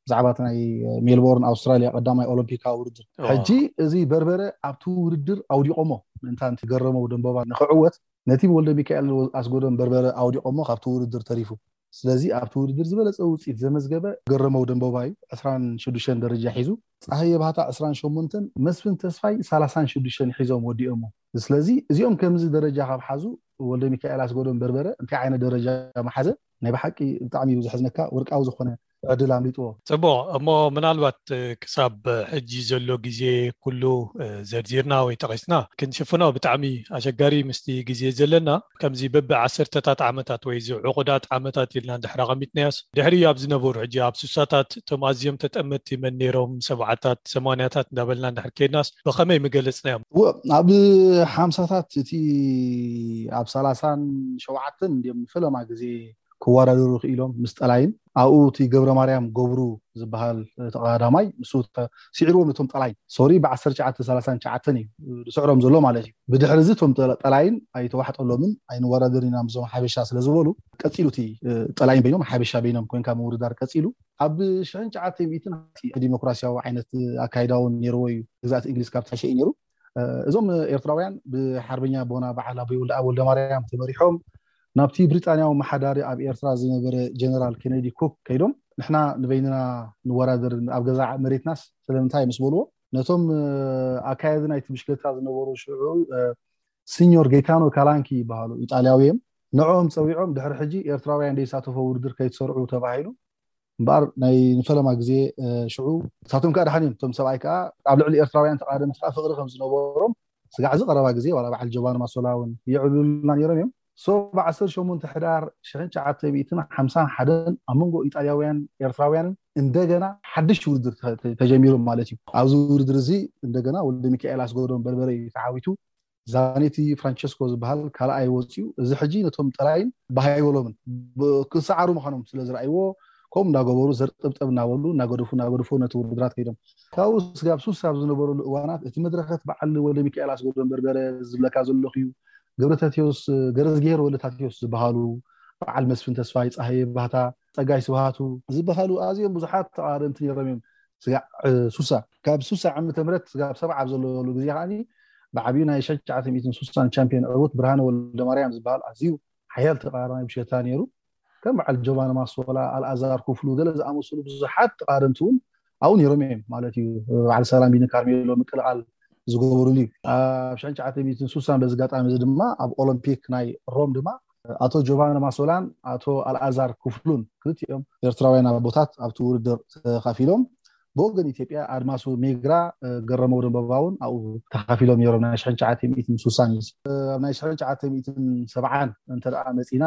ብዛዕባ እቲ ናይ ሜልቦርን ኣውስትራልያ ቀዳማይ ኦሎምፒካዊ ውድድር። ሕጂ እዚ በርበረ ኣብቲ ውድድር ኣውዲቖሞ፣ ምእንታን እቲ ገረመው ደንቦባ ንክዕወት ነቲ ወልደ ሚካኤል ኣስጎዶም በርበረ ኣውዲቖሞ ካብቲ ውድድር ተሪፉ። ስለዚ ኣብቲ ውድድር ዝበለፀ ውፅኢት ዘመዝገበ ገረመው ደንቦባ እዩ፣ ዕስራን ሽዱሽተን ደረጃ ሒዙ። ፀሃየ ባህታ ዕስራን ሸሞንተን፣ መስፍን ተስፋይ ሰላሳን ሽዱሽተን ሒዞም ወዲኦሞ። ስለዚ እዚኦም ከምዚ ደረጃ ካብ ሓዙ፣ ወልደ ሚካኤል ኣስጎዶም በርበረ እንታይ ዓይነት ደረጃ መሓዘ? ናይ ብሓቂ ብጣዕሚ እዩ ዘሕዝነካ። ወርቃዊ ዝኾነ ዕድል ኣምሊጥዎ። ጽቡቕ። እሞ ምናልባት ክሳብ ሕጂ ዘሎ ግዜ ኩሉ ዘርዚርና ወይ ጠቒስና ክንሽፍኖ ብጣዕሚ ኣሸጋሪ ምስቲ ግዜ ዘለና። ከምዚ በቢ ዓሰርተታት ዓመታት ወይ እዚ ዕቑዳት ዓመታት ኢልና እንድሕር ኣቐሚጥናዮስ፣ ድሕሪ ኣብ ዝነበሩ ሕጂ ኣብ ሱሳታት እቶም ኣዝዮም ተጠመትቲ መን ነይሮም፣ ሰብዓታት ሰማንያታት እንዳበልና እንድሕር ከይድናስ ብኸመይ ምገለጽናዮም? እወ፣ ኣብ ሓምሳታት እቲ ኣብ ሰላሳን ሸውዓተን እንዲዮም ፈለማ ግዜ ክወዳደሩ ክኢሎም ምስ ጠላይን ኣብኡ እቲ ገብረ ማርያም ገብሩ ዝበሃል ተቐዳዳማይ ንሱ ስዒርዎም ነቶም ጠላይን ሶሪ ብ ዓሰርተ ትሽዓተ ሰላሳን ትሽዓተን እዩ ዝስዕሮም ዘሎ ማለት እዩ። ብድሕሪ እዚ እቶም ጠላይን ኣይተዋሕጠሎምን ኣይንወዳደር ኢና ምስዞም ሓበሻ ስለ ዝበሉ ቀፂሉ እቲ ጠላይን በይኖም ሓበሻ በይኖም ኮይንካ ምውድዳር ቀፂሉ። ኣብ ሽሕን ትሽዓተ ሚእትን ዲሞክራሲያዊ ዓይነት ኣካይዳ እውን ነይርዎ እዩ። ግዛእቲ እንግሊዝ ካብ ትሓሸ እዩ ነይሩ። እዞም ኤርትራውያን ብሓርበኛ ኣቦና በዓል ኣቦይ ወልደኣብ ወልደማርያም ተመሪሖም ናብቲ ብሪጣንያዊ መሓዳሪ ኣብ ኤርትራ ዝነበረ ጀነራል ኬነዲ ኩክ ከይዶም፣ ንሕና ንበይንና ንወዳደር ኣብ ገዛ መሬትናስ ስለምንታይ ምስ በልዎ፣ ነቶም ኣካየዲ ናይቲ ብሽክለታ ዝነበሩ ሽዑ ሲኞር ጌታኖ ካላንኪ ይበሃሉ፣ ኢጣልያዊ እዮም። ንዕኦም ጸዊዖም ድሕሪ ሕጂ ኤርትራውያን ዘይሳተፎ ውድድር ከይትሰርዑ ተባሂሉ። እምበኣር ናይ ንፈለማ ግዜ ሽዑ ንሳቶም ከዓ ደሓን እዮም። እቶም ሰብኣይ ከዓ ኣብ ልዕሊ ኤርትራውያን ተቓደምቲ ከዓ ፍቕሪ ከም ዝነበሮም ስጋዕ እዚ ቀረባ ግዜ ዋላ በዓል ጆባን ማሶላ እውን የዕልሉልና ነይሮም እዮም። ሶ ብ ዓሰርተ ሸሞንተ ሕዳር ሽሕን ትሽዓተ ሚእትን ሓምሳን ሓደን ኣብ መንጎ ኢጣልያውያን ኤርትራውያንን እንደገና ሓድሽ ውድድር ተጀሚሩ ማለት እዩ። ኣብዚ ውድድር እዚ እንደገና ወልደ ሚካኤል ኣስገዶም በርበረ እዩ ተዓዊቱ። ዛኔቲ ፍራንቸስኮ ዝበሃል ካልኣይ ወፂኡ። እዚ ሕጂ ነቶም ጠላይን ባህ ኣይበሎምን። ክሰዓሩ ምዃኖም ስለ ዝረኣይዎ ከምኡ እንዳገበሩ ዘርጥብጠብ እናበሉ እናገደፉ እናገደፉ ነቲ ውድድራት ከይዶም። ካብኡ ስጋብ ሱስ ኣብ ዝነበረሉ እዋናት እቲ መድረኸት በዓል ወልደ ሚካኤል ኣስገዶም በርበረ ዝብለካ ዘለኹ እዩ። ገብረታቴዎስ ገረዝግሄር ወልደታቴዎስ ዝበሃሉ፣ በዓል መስፍን ተስፋይ፣ ፀሃየ ባህታ፣ ፀጋይ ስብሃቱ ዝበሃሉ ኣዝዮም ብዙሓት ተቓደምቲ ነይሮም እዮም። ስጋዕ ሱሳ ካብ ሱሳ ዓመተ ምህረት ስጋብ ሰብዓ ኣብ ዘለሉ ግዜ ከዓኒ ብዓብዩ ናይ ሽሕን ትሽዓተ ሚእትን ሱሳን ቻምፒዮን ዕውት ብርሃነ ወልደማርያም ዝበሃል ኣዝዩ ሓያል ተቃራኒ ብሽክለታ ነይሩ። ከም በዓል ጆቫኒ ማሶላ፣ ኣልኣዛር ኩፍሉ ገለ ዝኣመሰሉ ብዙሓት ተቃረንቲ እውን ኣብኡ ነይሮም እዮም ማለት እዩ። በዓል ሰላም ቢኒ ካርሜሎ ምቅልቃል ዝገበሩሉ እዩ። ኣብ ሽሕን ትሽዓተ ሚእትን ሱሳን በዚ ኣጋጣሚ እዚ ድማ ኣብ ኦሎምፒክ ናይ ሮም ድማ ኣቶ ጆቫኒ ማሶላን ኣቶ ኣልኣዛር ኩፍሉን ክልቲኦም ኤርትራውያን ኣቦታት ኣብቲ ውድድር ተኻፊሎም ብወገን ኢትዮጵያ ኣድማሱ ሜግራ ገረመው ደንበባ እውን ኣብኡ ተኻፊሎም ነይሮም። ናይ ሽሕን ትሽዓተ ሚእትን ሱሳን እዩ። ኣብ ናይ ሽሕን ትሽዓተ ሚእትን ሰብዓን እንተ ደኣ መጺና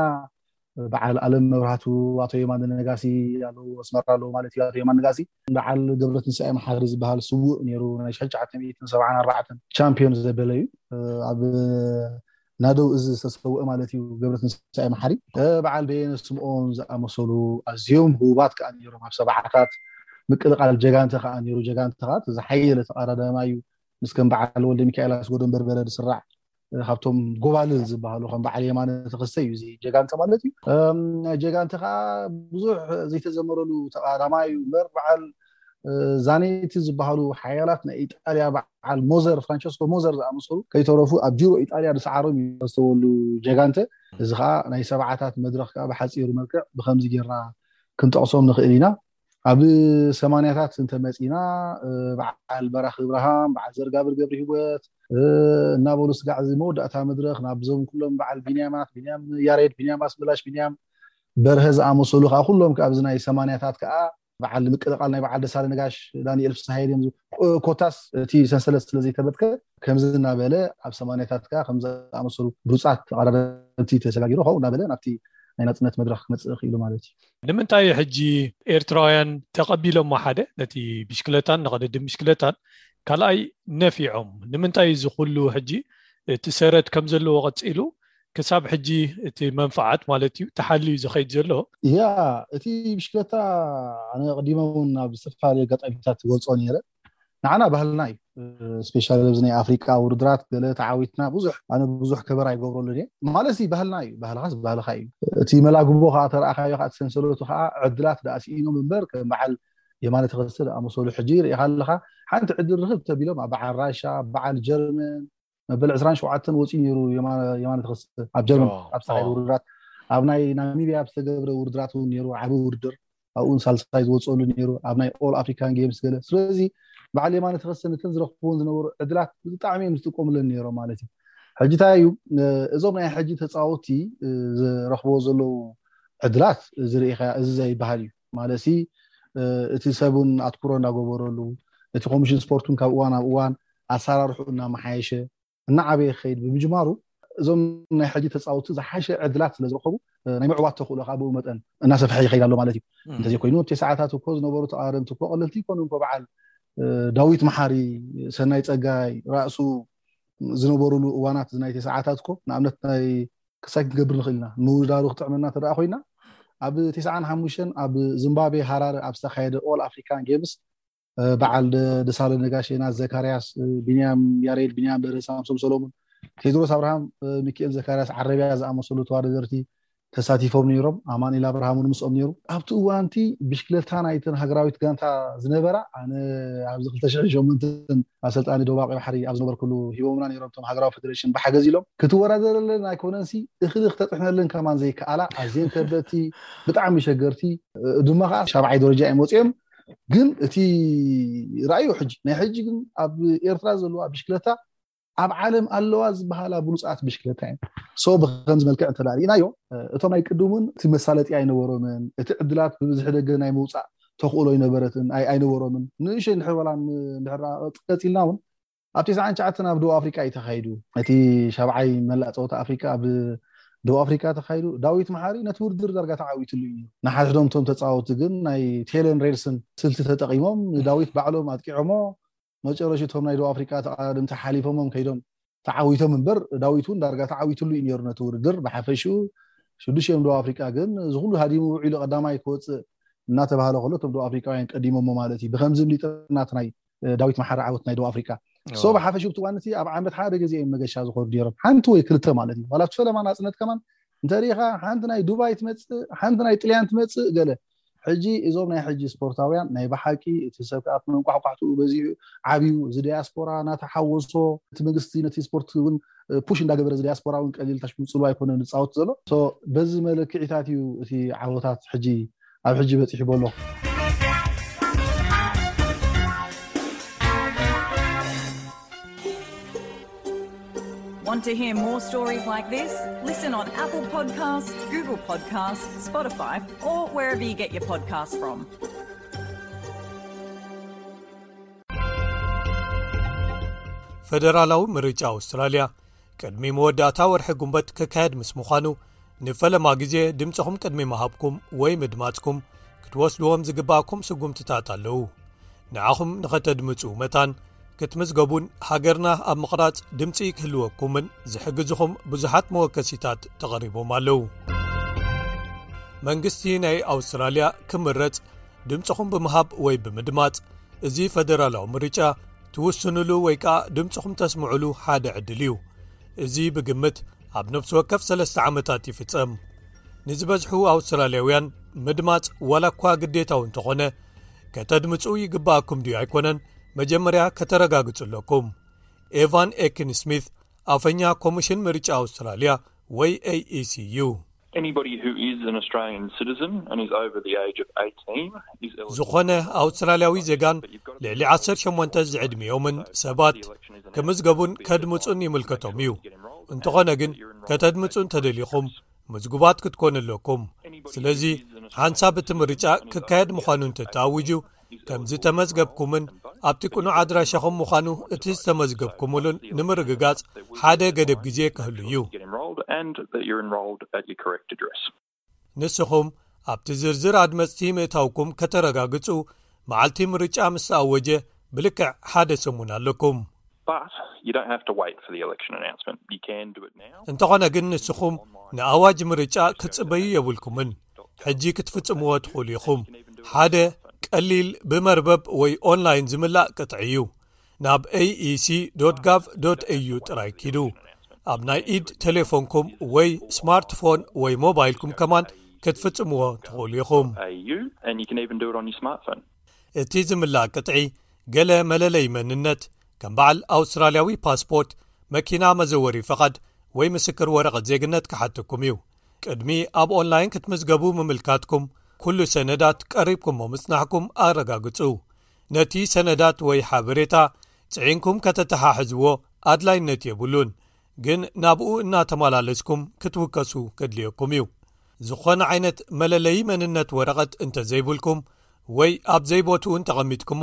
በዓል ኣለም መብራህቱ፣ ኣቶ የማነ ነጋሲ ኣለዉ፣ ኣስመራ ኣለዉ ማለት እዩ። ኣቶ የማነ ነጋሲ በዓል ገብረትንሳኤ መሓሪ ዝበሃል ስዉእ ነይሩ፣ ናይ ሽሕን ትሽዓተ ሚእትን ሰብዓን ኣርባዕተን ቻምፒዮን ዘበለ እዩ። ኣብ ናደው እዚ ዝተሰውአ ማለት እዩ ገብረትንሳኤ መሓሪ። በዓል በየነ ስምኦን ዝኣመሰሉ ኣዝዮም ህቡባት ከኣ ነይሮም። ኣብ ሰብዓታት ምቅልቃል ጀጋንተ ከኣ ነይሩ። ጀጋንተ ከኣ ዝሓየለ ተቐዳዳማይ እዩ። ምስ ከም በዓል ወልደ ሚካኤል ኣስጎዶም በርበረ ዝስራዕ ካብቶም ጎባልል ዝበሃሉ ከም በዓል የማነ ተኸስተ እዩ እዚ ጀጋንተ ማለት እዩ። ጀጋንተ ከዓ ብዙሕ ዘይተዘመረሉ ተቃዳማይ እዩ እምበር በዓል ዛኔቲ ዝበሃሉ ሓያላት ናይ ኢጣልያ በዓል ሞዘር፣ ፍራንቸስኮ ሞዘር ዝኣመሰሉ ከይተረፉ ኣብ ጂሮ ኢጣልያ ዝሰዓሮም እዩ ዝተወሉ ጀጋንተ። እዚ ከዓ ናይ ሰብዓታት መድረክ ከዓ ብሓፂሩ መልክዕ ብከምዚ ጌርና ክንጠቕሶም ንኽእል ኢና። ኣብ ሰማንያታት እንተመፂና በዓል በራኺ ብርሃም፣ በዓል ዘርጋብር ገብሪ ህይወት እናበሉ ስጋዕ እዚ መወዳእታ መድረክ ናብዞም ኩሎም በዓል ቢንያማት፣ ቢንያም ያሬድ፣ ቢንያም ኣስመላሽ፣ ቢንያም በርሀ ዝኣመሰሉ ከዓ ኩሎም ኣብዚ ናይ ሰማንያታት ከዓ በዓል ምቅልቃል ናይ በዓል ደሳለ ነጋሽ፣ ዳንኤል ፍስሃየ ድዮም ዝ-፣ ኮታስ እቲ ሰንሰለት ስለ ዘይተበትከ ከምዚ እናበለ ኣብ ሰማንያታት ከዓ ከም ዝኣመሰሉ ብሉጻት ተቐዳደምቲ ተሰጋጊሩ ኸው እናበለ ናብቲ ናይ ናጽነት መድረኽ ክመጽእ ክኢሉ ማለት እዩ። ንምንታይ ሕጂ ኤርትራውያን ተቐቢሎሞ ሓደ ነቲ ብሽክለታን ንቕድድም ብሽክለታን ካልኣይ ነፊዖም? ንምንታይ እዚ ኩሉ ሕጂ እቲ ሰረት ከም ዘለዎ ቀጺሉ ክሳብ ሕጂ እቲ መንፍዓት ማለት እዩ ተሓልዩ ዝኸይድ ዘሎ? ያ፣ እቲ ብሽክለታ ኣነ ቀዲመ እውን ኣብ ዝተፈላለዩ ኣጋጣሚታት ዝገልጾ ነይረ። ንዓና ባህልና እዩ። ስፔሻሊ ኣብዚ ናይ ኣፍሪቃ ውድድራት ገለ ተዓዊትና ብዙሕ፣ ኣነ ብዙሕ ከበር ኣይገብረሉን እየ። ማለት እዩ ባህልና እዩ፣ ባህልኻስ ባህልኻ እዩ። እቲ መላግቦ ከዓ ተረኣኻዮ ከዓ እቲ ሰንሰለቱ ከዓ ዕድላት ደኣ ስኢኖም እምበር ከም በዓል የማነ ተኸስተ ዝኣመሰሉ ሕጂ ርኢኻ ኣለኻ። ሓንቲ ዕድል ርኽብ ተቢሎም ኣብ በዓል ራሻ፣ ኣብ በዓል ጀርመን፣ መበል ዕስራን ሸውዓተን ወፂኡ ነይሩ የማነ፣ የማነ ተኸስተ ኣብ ጀርመን ኦ፣ ኣብ ዝተኻየደ ኦ። ውድድራት፣ ኣብ ናይ ናሚቢያ ኣብ ዝተገብረ ውድድራት እውን ነይሩ፣ ዓቢ ውድድር ኣብኡን ሳልሳይ ዝወፀሉ ነይሩ፣ ኣብ ናይ ኦል ኣፍሪካን ጌምስ ገለ። ስለዚ በዓል የማነ ተኸስተ ነተን ዝረኽብዎን ዝነበሩ ዕድላት ብጣዕሚ እዮም ዝጥቀሙለን ነይሮም ማለት እዩ። ሕጂ እንታይ እዩ፣ እ፣ እዞም ናይ ሕጂ ተፃወትቲ፣ እ፣ ዝረኽብዎ ዘለዉ ዕድላት እዚ ርኢኻ እዚ ዘይበሃል እዩ ማለት ሲ፣ እ፣ እቲ ሰብ እውን ኣትኩሮ እናገበረሉ፣ እቲ ኮሚሽን ስፖርት እውን ካብ እዋን ናብ እዋን ኣሰራርሑ እናመሓየሸ እናዓበየ ክኸይድ ብምጅማሩ እዞም ናይ ሕጂ ተፃወትቲ ዝሓሸ ዕድላት ስለ ዝረኸቡ፣ እ፣ ናይ ምዕዋት ተኽእሎ ከዓ ብኡ መጠን እናሰፍሐ ይኸይድ ኣሎ ማለት እዩ። እም። እንተዘይኮይኑ እቲ ሰዓታት እኮ ዝነበሩ ተቓረምቲ እኮ ቀለልቲ ይኮኑ እኮ በዓል፣ እ፣ ዳዊት መሓሪ፣ ሰናይ ፀጋይ፣ ራእሱ ዝነበሩሉ እዋናት እዚ ናይ ተሰዓታት እኮ ንኣብነት ናይ ክሳይ ክንገብር ንኽእል ኢና። ምውዳሩ ክጥዕመና እንተ ደኣ ኮይና ኣብ ተስዓን ሓሙሽተን ኣብ ዚምባብዌ ሃራረ ኣብ ዝተኻየደ ኦል ኣፍሪካን ጌምስ እ፣ በዓል ደ-፣ ደሳለ ነጋሽ፣ ዮናስ ዘካርያስ፣ እ፣ ቢንያም ያሬድ፣ ቢንያም በርሀ፣ ሳምሶም ሰሎሙን፣ ቴድሮስ ኣብርሃም፣ እ፣ ሚካኤል ዘካርያስ፣ ዓረብያ ዝኣመሰሉ ተወዳደርቲ ተሳቲፎም ነይሮም። ኣማኑኤል ኣብርሃም እውን ምስኦም ነይሩ። ኣብቲ እዋንቲ ብሽክለታ ናይተን ሃገራዊት ጋንታ ዝነበራ፣ ኣነ ኣብዚ ክልተ ሽሕን ሸሞንተን ኣሰልጣኒ ደቡብ ቀይ ባሕሪ ኣብ ዝነበርኩሉ ሂቦምና ነይሮም። እቶም ሃገራዊ ፌደሬሽን ብሓገዝ ኢሎም ክትወዳደረለን ኣይኮነንሲ እኽሊ ክተጥሕነለን ከማን ዘይከኣላ ኣዝየን ከበድቲ፣ ብጣዕሚ ሸገርቲ፣ እ፣ ድማ ከዓ ሻብዓይ ደረጃ እዮም ወፂኦም። ግን እቲ ራእዩ ሕጂ፣ ናይ ሕጂ ግን ኣብ ኤርትራ ዘለዋ ብሽክለታ ኣብ ዓለም ኣለዋ ዝበሃላ ብሉጻት ብሽክለታ እየን። ሶ ብከምዚ መልክዕ እንተ ደኣ ርኢናዮ፣ እቶም ናይ ቅድሙን እቲ መሳለጢ ኣይነበሮምን፣ እቲ ዕድላት ብብዝሒ ደገ ናይ ምውጻእ ተኽእሎ ኣይነበረትን፣ ኣይ-፣ ኣይነበሮምን። ንእሽተይ እንድሕር በላ ን-፣ እንድሕር ቀጽ-፣ ቀጺልና እውን ኣብ ተስዓን ትሽዓተን ኣብ ደቡብ ኣፍሪቃ እዩ ተኻይዱ። እቲ ሻብዓይ መላእ ጸወታ ኣፍሪቃ ኣብ ደቡብ ኣፍሪቃ ተኻይዱ። ዳዊት መሓሪ ነቲ ውድድር ዳርጋ ተዓዊትሉ እዩ። ንሓድሕዶም እቶም ተጻወትቲ ግን ናይ ቴለን ሬድስን ስልቲ ተጠቒሞም ንዳዊት ባዕሎም ኣጥቂዖሞ። መጨረሽቶም ናይ ደቡብ ኣፍሪቃ ተቓዳደምቲ ሓሊፎሞም ከይዶም ተዓዊቶም እምበር ዳዊት እውን ዳርጋ ተዓዊትሉ እዩ ነይሩ ነቲ ውድድር። ብሓፈሽኡ ሽዱሽቲኦም ደቡብ ኣፍሪቃ ግን እዚ ኩሉ ሃዲሙ ውዒሉ ቀዳማይ ክወጽእ እናተባህለ ከሎ እቶም ደቡብ ኣፍሪቃውያን ቀዲሞሞ ማለት እዩ። ብከምዚ ምሊጥና እቲ ናይ እ፣ ዳዊት መሓሪ ዓወት ናይ ደቡብ ኣፍሪቃ። ሶ ኦ። ብሓፈሽኡ ኣብቲ እዋን እቲ ኣብ ዓመት ሓደ ግዜ እዮም መገሻ ዝኸዱ ነይሮም። ሓንቲ ወይ ክልተ ማለት እዩ። ዋላ ኣብቲ ፈለማ ናጽነት ከማን እንተሪኢኻ ሓንቲ ናይ ዱባይ ትመጽእ፣ ሓንቲ ናይ ጥልያን ትመጽእ ገለ። ሕጂ እዞም ናይ ሕጂ ስፖርታውያን ናይ ብሓቂ እቲ ሰብ ከዓ መንቋሕቋሕትኡ በዚሑ ዓብዩ፣ እዚ ዲያስፖራ እናተሓወሶ፣ እቲ መንግስቲ ነቲ ስፖርት እውን ፑሽ እንዳገበረ፣ እዚ ዲያስፖራ እውን ቀሊል ታሽ ምፅሉ ኣይኮነን ዝፃወት ዘሎ። በዚ መለክዒታት እዩ እቲ ዓወታት ሕጂ ኣብ ሕጂ በፂሑ በሎ። Want to hear more stories like this? Listen on Apple Podcasts, Google Podcasts, Spotify, or wherever you get your podcasts from. ፈደራላዊ ምርጫ ኣውስትራልያ ቅድሚ መወዳእታ ወርሒ ጉንበት ክካየድ ምስ ምዃኑ፣ ንፈለማ ግዜ ድምፅኹም ቅድሚ ምሃብኩም ወይ ምድማፅኩም ክትወስድዎም ዝግባእኩም ስጉምትታት ኣለዉ። ንዓኹም ንኸተድምፁ መታን ክትምዝገቡን ሃገርና ኣብ ምቕራፅ ድምፂ ክህልወኩምን ዝሕግዝኹም ብዙሓት መወከሲታት ተቐሪቦም ኣለዉ። መንግስቲ ናይ ኣውስትራልያ ክምረፅ ድምፅኹም ብምሃብ ወይ ብምድማፅ እዚ ፈደራላዊ ምርጫ ትውስኑሉ ወይ ከዓ ድምፅኹም ተስምዑሉ ሓደ ዕድል እዩ። እዚ ብግምት ኣብ ነፍሲ ወከፍ ሰለስተ ዓመታት ይፍፀም። ንዝበዝሑ ኣውስትራልያውያን ምድማፅ ዋላ እኳ ግዴታዊ እንተኾነ፣ ከተድምፁ ይግባኣኩም ድዩ ኣይኮነን መጀመርያ ከተረጋግፁ ኣለኩም። ኤቫን ኤክን ስሚት ኣፈኛ ኮሚሽን ምርጫ ኣውስትራልያ ወይ ኤኢሲ እዩ። Anybody who is an Australian citizen and is over the age of eighteen is eligible. ዝኾነ ኣውስትራልያዊ ዜጋን ልዕሊ ዓሰርተ ሸሞንተ ዝዕድሚኦምን ሰባት ክምዝገቡን ከድምፁን ይምልከቶም እዩ። እንተኾነ ግን ከተድምፁ እንተደሊኹም ምዝጉባት ክትኮኑ ኣለኩም። ስለዚ ሓንሳብ እቲ ምርጫ ክካየድ ምዃኑ እንተተኣውጁ ከም ዝተመዝገብኩምን ኣብቲ ቅኑዕ ኣድራሻኹም ምዃኑ እቲ ዝተመዝገብኩምሉን ንምርግጋጽ ሓደ ገደብ ግዜ ክህሉ እዩ። Get enrolled and that you're enrolled at your correct address. ንስኹም ኣብቲ ዝርዝር ኣድመጽቲ ምእታውኩም ከተረጋግጹ መዓልቲ ምርጫ ምስ ተኣወጀ ብልክዕ ሓደ ሰሙን ኣለኩም። But you don't have to wait for the election announcement. You can do it now. እንተኾነ ግን ንስኹም ንኣዋጅ ምርጫ ክትጽበዩ የብልኩምን። ሕጂ ክትፍጽምዎ ትኽእሉ ኢኹም። ሓደ ቀሊል ብመርበብ ወይ ኦንላይን ዝምላእ ቅጥዒ እዩ። ናብ ኤኢሲ ዶት ጋቭ ዶት ኤዩ ጥራይ ኪዱ። ኣብ ናይ ኢድ ቴሌፎንኩም ወይ ስማርትፎን ወይ ሞባይልኩም ከማን ክትፍጽምዎ ትኽእሉ ኢኹም። Au, and you can even do it on your smartphone. እቲ ዝምላእ ቅጥዒ ገለ መለለይ መንነት ከም በዓል ኣውስትራልያዊ ፓስፖርት፣ መኪና መዘወሪ ፈቓድ ወይ ምስክር ወረቐት ዜግነት ክሓተኩም እዩ። ቅድሚ ኣብ ኦንላይን ክትምዝገቡ ምምልካትኩም ኩሉ ሰነዳት ቀሪብኩሞ ምጽናሕኩም ኣረጋግጹ። ነቲ ሰነዳት ወይ ሓበሬታ ጽዒንኩም ከተተሓሕዝዎ ኣድላይነት የብሉን፣ ግን ናብኡ እናተመላለስኩም ክትውከሱ ከድልየኩም እዩ። ዝኾነ ዓይነት መለለዪ መንነት ወረቐት እንተዘይብልኩም ወይ ኣብ ዘይቦትኡ እንተቐሚጥኩሞ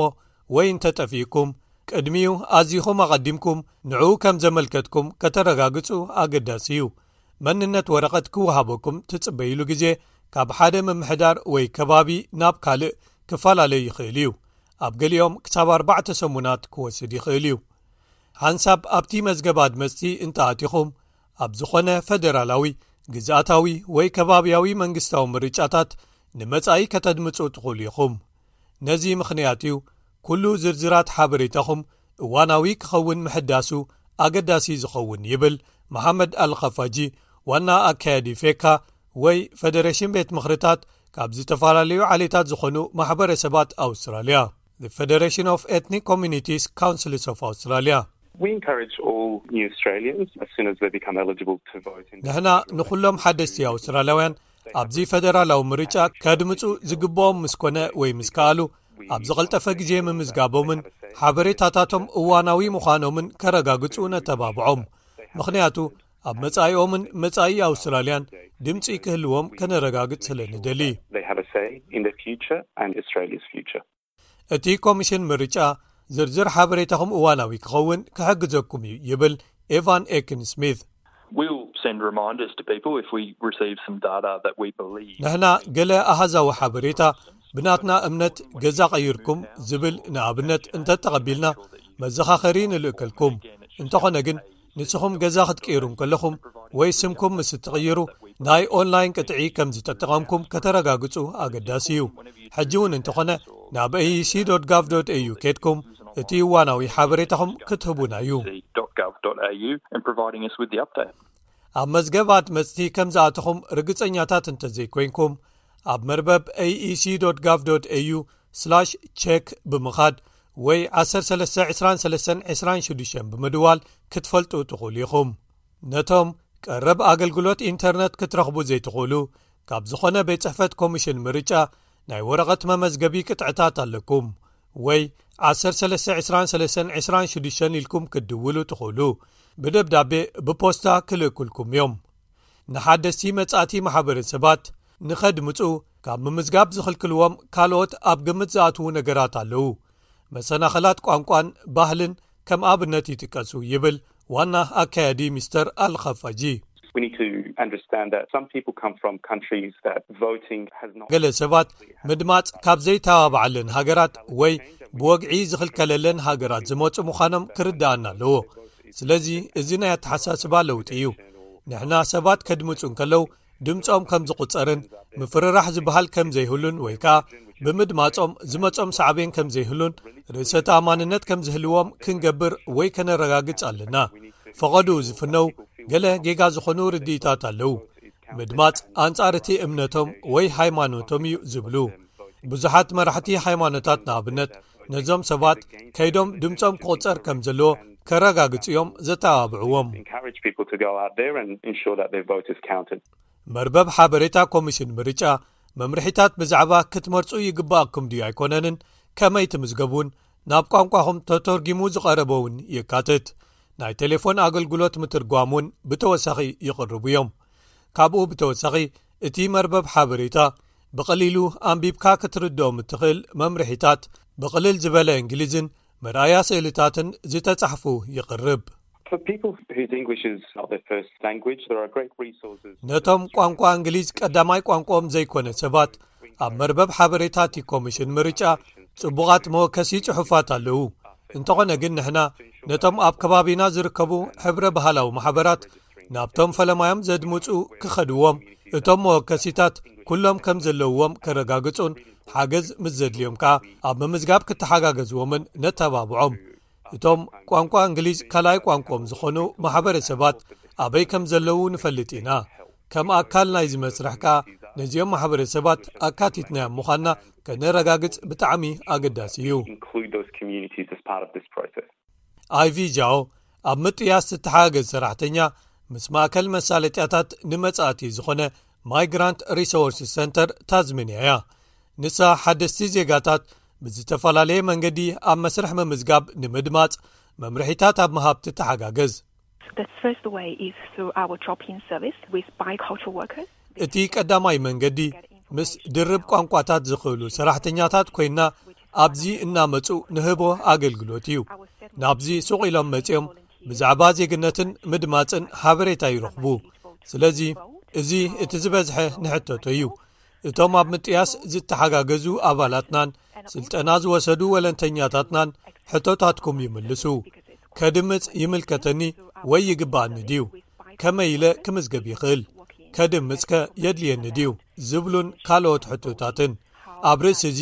ወይ እንተጠፊእኩም ቅድሚኡ ኣዚኹም ኣቐዲምኩም ንዕኡ ከም ዘመልከትኩም ከተረጋግጹ ኣገዳሲ እዩ። መንነት ወረቐት ክወሃበኩም ትጽበይሉ ግዜ ካብ ሓደ ምምሕዳር ወይ ከባቢ ናብ ካልእ ክፈላለ ይኽእል እዩ። ኣብ ገሊኦም ክሳብ ኣርባዕተ ሰሙናት ክወስድ ይኽእል እዩ። ሓንሳብ ኣብቲ መዝገብ ኣድመጽቲ እንተኣቲኹም ኣብ ዝኾነ ፈደራላዊ፣ ግዝኣታዊ ወይ ከባብያዊ መንግስታዊ ምርጫታት ንመጻኢ ከተድምጹ ትኽእሉ ኢኹም። ነዚ ምኽንያት እዩ ኩሉ ዝርዝራት ሓበሬታኹም እዋናዊ ክኸውን ምሕዳሱ ኣገዳሲ ዝኸውን ይብል መሓመድ ኣልኸፋጂ፣ ዋና ኣካያዲ ፌካ ወይ ፈደሬሽን ቤት ምኽርታት ካብ ዝተፈላለዩ ዓሌታት ዝኾኑ ማሕበረሰባት ኣውስትራልያ፣ Federation of Ethnic Communities Councils of Australia. We encourage all new Australians, as soon as they become eligible to vote in ንሕና ንኹሎም ሓደስቲ ኣውስትራልያውያን ኣብዚ ፈደራላዊ ምርጫ ከድምፁ ዝግብኦም ምስ ኮነ ወይ ምስ ከኣሉ ኣብ ዝቐልጠፈ ግዜ ምምዝጋቦምን ሓበሬታታቶም እዋናዊ ምዃኖምን ከረጋግፁ ነተባብዖም። ምኽንያቱ ኣብ መጻኢኦምን መጻኢ ኣውስትራልያን ድምፂ ክህልዎም ከነረጋግፅ ስለ ንደሊ። They have a say in the future and Australia's future. እቲ ኮሚሽን ምርጫ ዝርዝር ሓበሬታኹም እዋናዊ ክኸውን ክሕግዘኩም እዩ ይብል ኤቫን ኤክን ስሚት። We'll send reminders to people if we receive some data that we believe. ንሕና ገለ ኣሃዛዊ ሓበሬታ ብናትና እምነት ገዛ ቀይርኩም ዝብል ንኣብነት እንተተቐቢልና መዘኻኸሪ ንልእከልኩም። እንተኾነ ግን ንስኹም ገዛ ክትቅይሩ እንከለኹም ወይ ስምኩም ምስ እትቕይሩ ናይ ኦንላይን ቅጥዒ ከም ዝተጠቐምኩም ከተረጋግጹ ኣገዳሲ እዩ። ሕጂ እውን እንተኾነ ናብ ኤኢሲ ዶት ጋቭ ዶት ኤዩ ኬድኩም እቲ እዋናዊ ሓበሬታኹም ክትህቡና እዩ። dot gov dot au and providing us with the update. ኣብ መዝገባት መጽቲ ከም ዝኣተኹም ርግጸኛታት እንተዘይኮይንኩም ኣብ መርበብ aec.gov.au/check ብምኻድ ወይ 132236 ብምድዋል ክትፈልጡ ትኽእሉ ኢኹም። ነቶም ቀረብ ኣገልግሎት ኢንተርነት ክትረኽቡ ዘይትኽእሉ፣ ካብ ዝኾነ ቤት ጽሕፈት ኮሚሽን ምርጫ ናይ ወረቐት መመዝገቢ ቅጥዕታት ኣለኩም ወይ 132236 ኢልኩም ክትድውሉ ትኽእሉ። ብደብዳቤ፣ ብፖስታ ክልእኩልኩም እዮም። ንሓደስቲ መጻእቲ ማሕበረሰባት ንኸድምጹ ካብ ምምዝጋብ ዝኽልክልዎም ካልኦት ኣብ ግምት ዝኣትዉ ነገራት ኣለዉ። መሰናኸላት ቋንቋን ባህልን ከም ኣብነት ይጥቀሱ፣ ይብል ዋና ኣካያዲ ሚስተር ኣልኸፋጂ። We need to understand that some people come from countries that voting has not ገለ ሰባት ምድማጽ ካብ ዘይተባባዓለን ሃገራት ወይ ብወግዒ ዝኽልከለለን ሃገራት ዝመጹ ምዃኖም ክርዳኣና ኣለዎ። ስለዚ እዚ ናይ ኣተሓሳስባ ለውጢ እዩ። ንሕና ሰባት ከድምጹ እንከለዉ ድምጾም ከም ዝቑጸርን ምፍርራሕ ዝበሃል ከም ዘይህሉን ወይ ከኣ ብምድማጾም ዝመጾም ሳዕቤን ከም ዘይህሉን ርእሰ ተኣማንነት ከም ዝህልዎም ክንገብር ወይ ከነረጋግጽ ኣለና። ፈቐድኡ ዝፍነው ገለ ጌጋ ዝኾኑ ርድኢታት ኣለዉ። ምድማጽ ኣንጻር እቲ እምነቶም ወይ ሃይማኖቶም እዩ ዝብሉ ብዙሓት መራሕቲ ሃይማኖታት ንኣብነት ነዞም ሰባት ከይዶም ድምጾም ክቑጸር ከም ዘለዎ ከረጋግጹ እዮም ዘተባብዕዎም። Encourage people to go out there and ensure that their vote is counted. መርበብ ሓበሬታ ኮሚሽን ምርጫ መምርሒታት ብዛዕባ ክትመርጹ ይግባኣኩም ድዩ ኣይኮነንን ከመይ ትምዝገቡን ናብ ቋንቋኹም ተተርጊሙ ዝቐረበ እውን የካትት። ናይ ቴሌፎን ኣገልግሎት ምትርጓም እውን ብተወሳኺ ይቕርቡ እዮም። ካብኡ ብተወሳኺ እቲ መርበብ ሓበሬታ ብቐሊሉ ኣንቢብካ ክትርድኦም እትኽእል መምርሒታት ብቕልል ዝበለ እንግሊዝን መርኣያ ስእልታትን ዝተጻሕፉ ይቕርብ። For people whose English is not their first language, there are great resources. ነቶም ቋንቋ እንግሊዝ ቀዳማይ ቋንቋኦም ዘይኮነ ሰባት ኣብ መርበብ ሓበሬታ እቲ ኮሚሽን ምርጫ ጽቡቓት መወከሲ ጽሑፋት ኣለዉ። እንተኾነ ግን ንሕና ነቶም ኣብ ከባቢና ዝርከቡ ሕብረ ባህላዊ ማሕበራት ናብቶም ፈለማዮም ዘድምጹ ክኸድዎም እቶም መወከሲታት ኩሎም ከም ዘለውዎም ከረጋግጹን ሓገዝ ምስ ዘድልዮም ከኣ ኣብ ምምዝጋብ ክተሓጋገዝዎምን ነተባብዖም። እቶም ቋንቋ እንግሊዝ ካልኣይ ቋንቋኦም ዝኾኑ ማሕበረሰባት ኣበይ ከም ዘለዉ ንፈልጥ ኢና። ከም ኣካል ናይዚ መስርሕ ከኣ ነዚኦም ማሕበረሰባት ኣካቲትናዮም ምዃንና ከነረጋግጽ ብጣዕሚ ኣገዳሲ እዩ። Include those communities as part of this process. ኣይቪ ጃኦ ኣብ ምጥያስ ዝተሓጋገዝ ሰራሕተኛ ምስ ማእከል መሳለጥያታት ንመጻእቲ ዝኾነ ማይግራንት ሪሶርስ ሰንተር ታዝሜንያ እያ። ንሳ ሓደስቲ ዜጋታት ብዝተፈላለየ መንገዲ ኣብ መስርሕ ምምዝጋብ ንምድማጽ መምርሒታት ኣብ ምሃብ ትተሓጋገዝ። The first way is through our drop-in service with bicultural workers. እቲ ቀዳማይ መንገዲ ምስ ድርብ ቋንቋታት ዝኽእሉ ሰራሕተኛታት ኮይና ኣብዚ እናመጹ ንህቦ ኣገልግሎት እዩ። ናብዚ ሱቕ ኢሎም መጺኦም ብዛዕባ ዜግነትን ምድማጽን ሓበሬታ ይረኽቡ። ስለዚ እዚ እቲ ዝበዝሐ ንሕተቶ እዩ። እቶም ኣብ ምጥያስ ዝተሓጋገዙ ኣባላትናን ስልጠና ዝወሰዱ ወለንተኛታትናን ሕቶታትኩም ይምልሱ። ከድምጽ ይምልከተኒ ወይ ይግባኣኒ ድዩ? ከመይ ኢለ ክምዝገብ ይኽእል? ከድምጽከ የድልየኒ ድዩ? ዝብሉን ካልኦት ሕቶታትን። ኣብ ርእሲ እዚ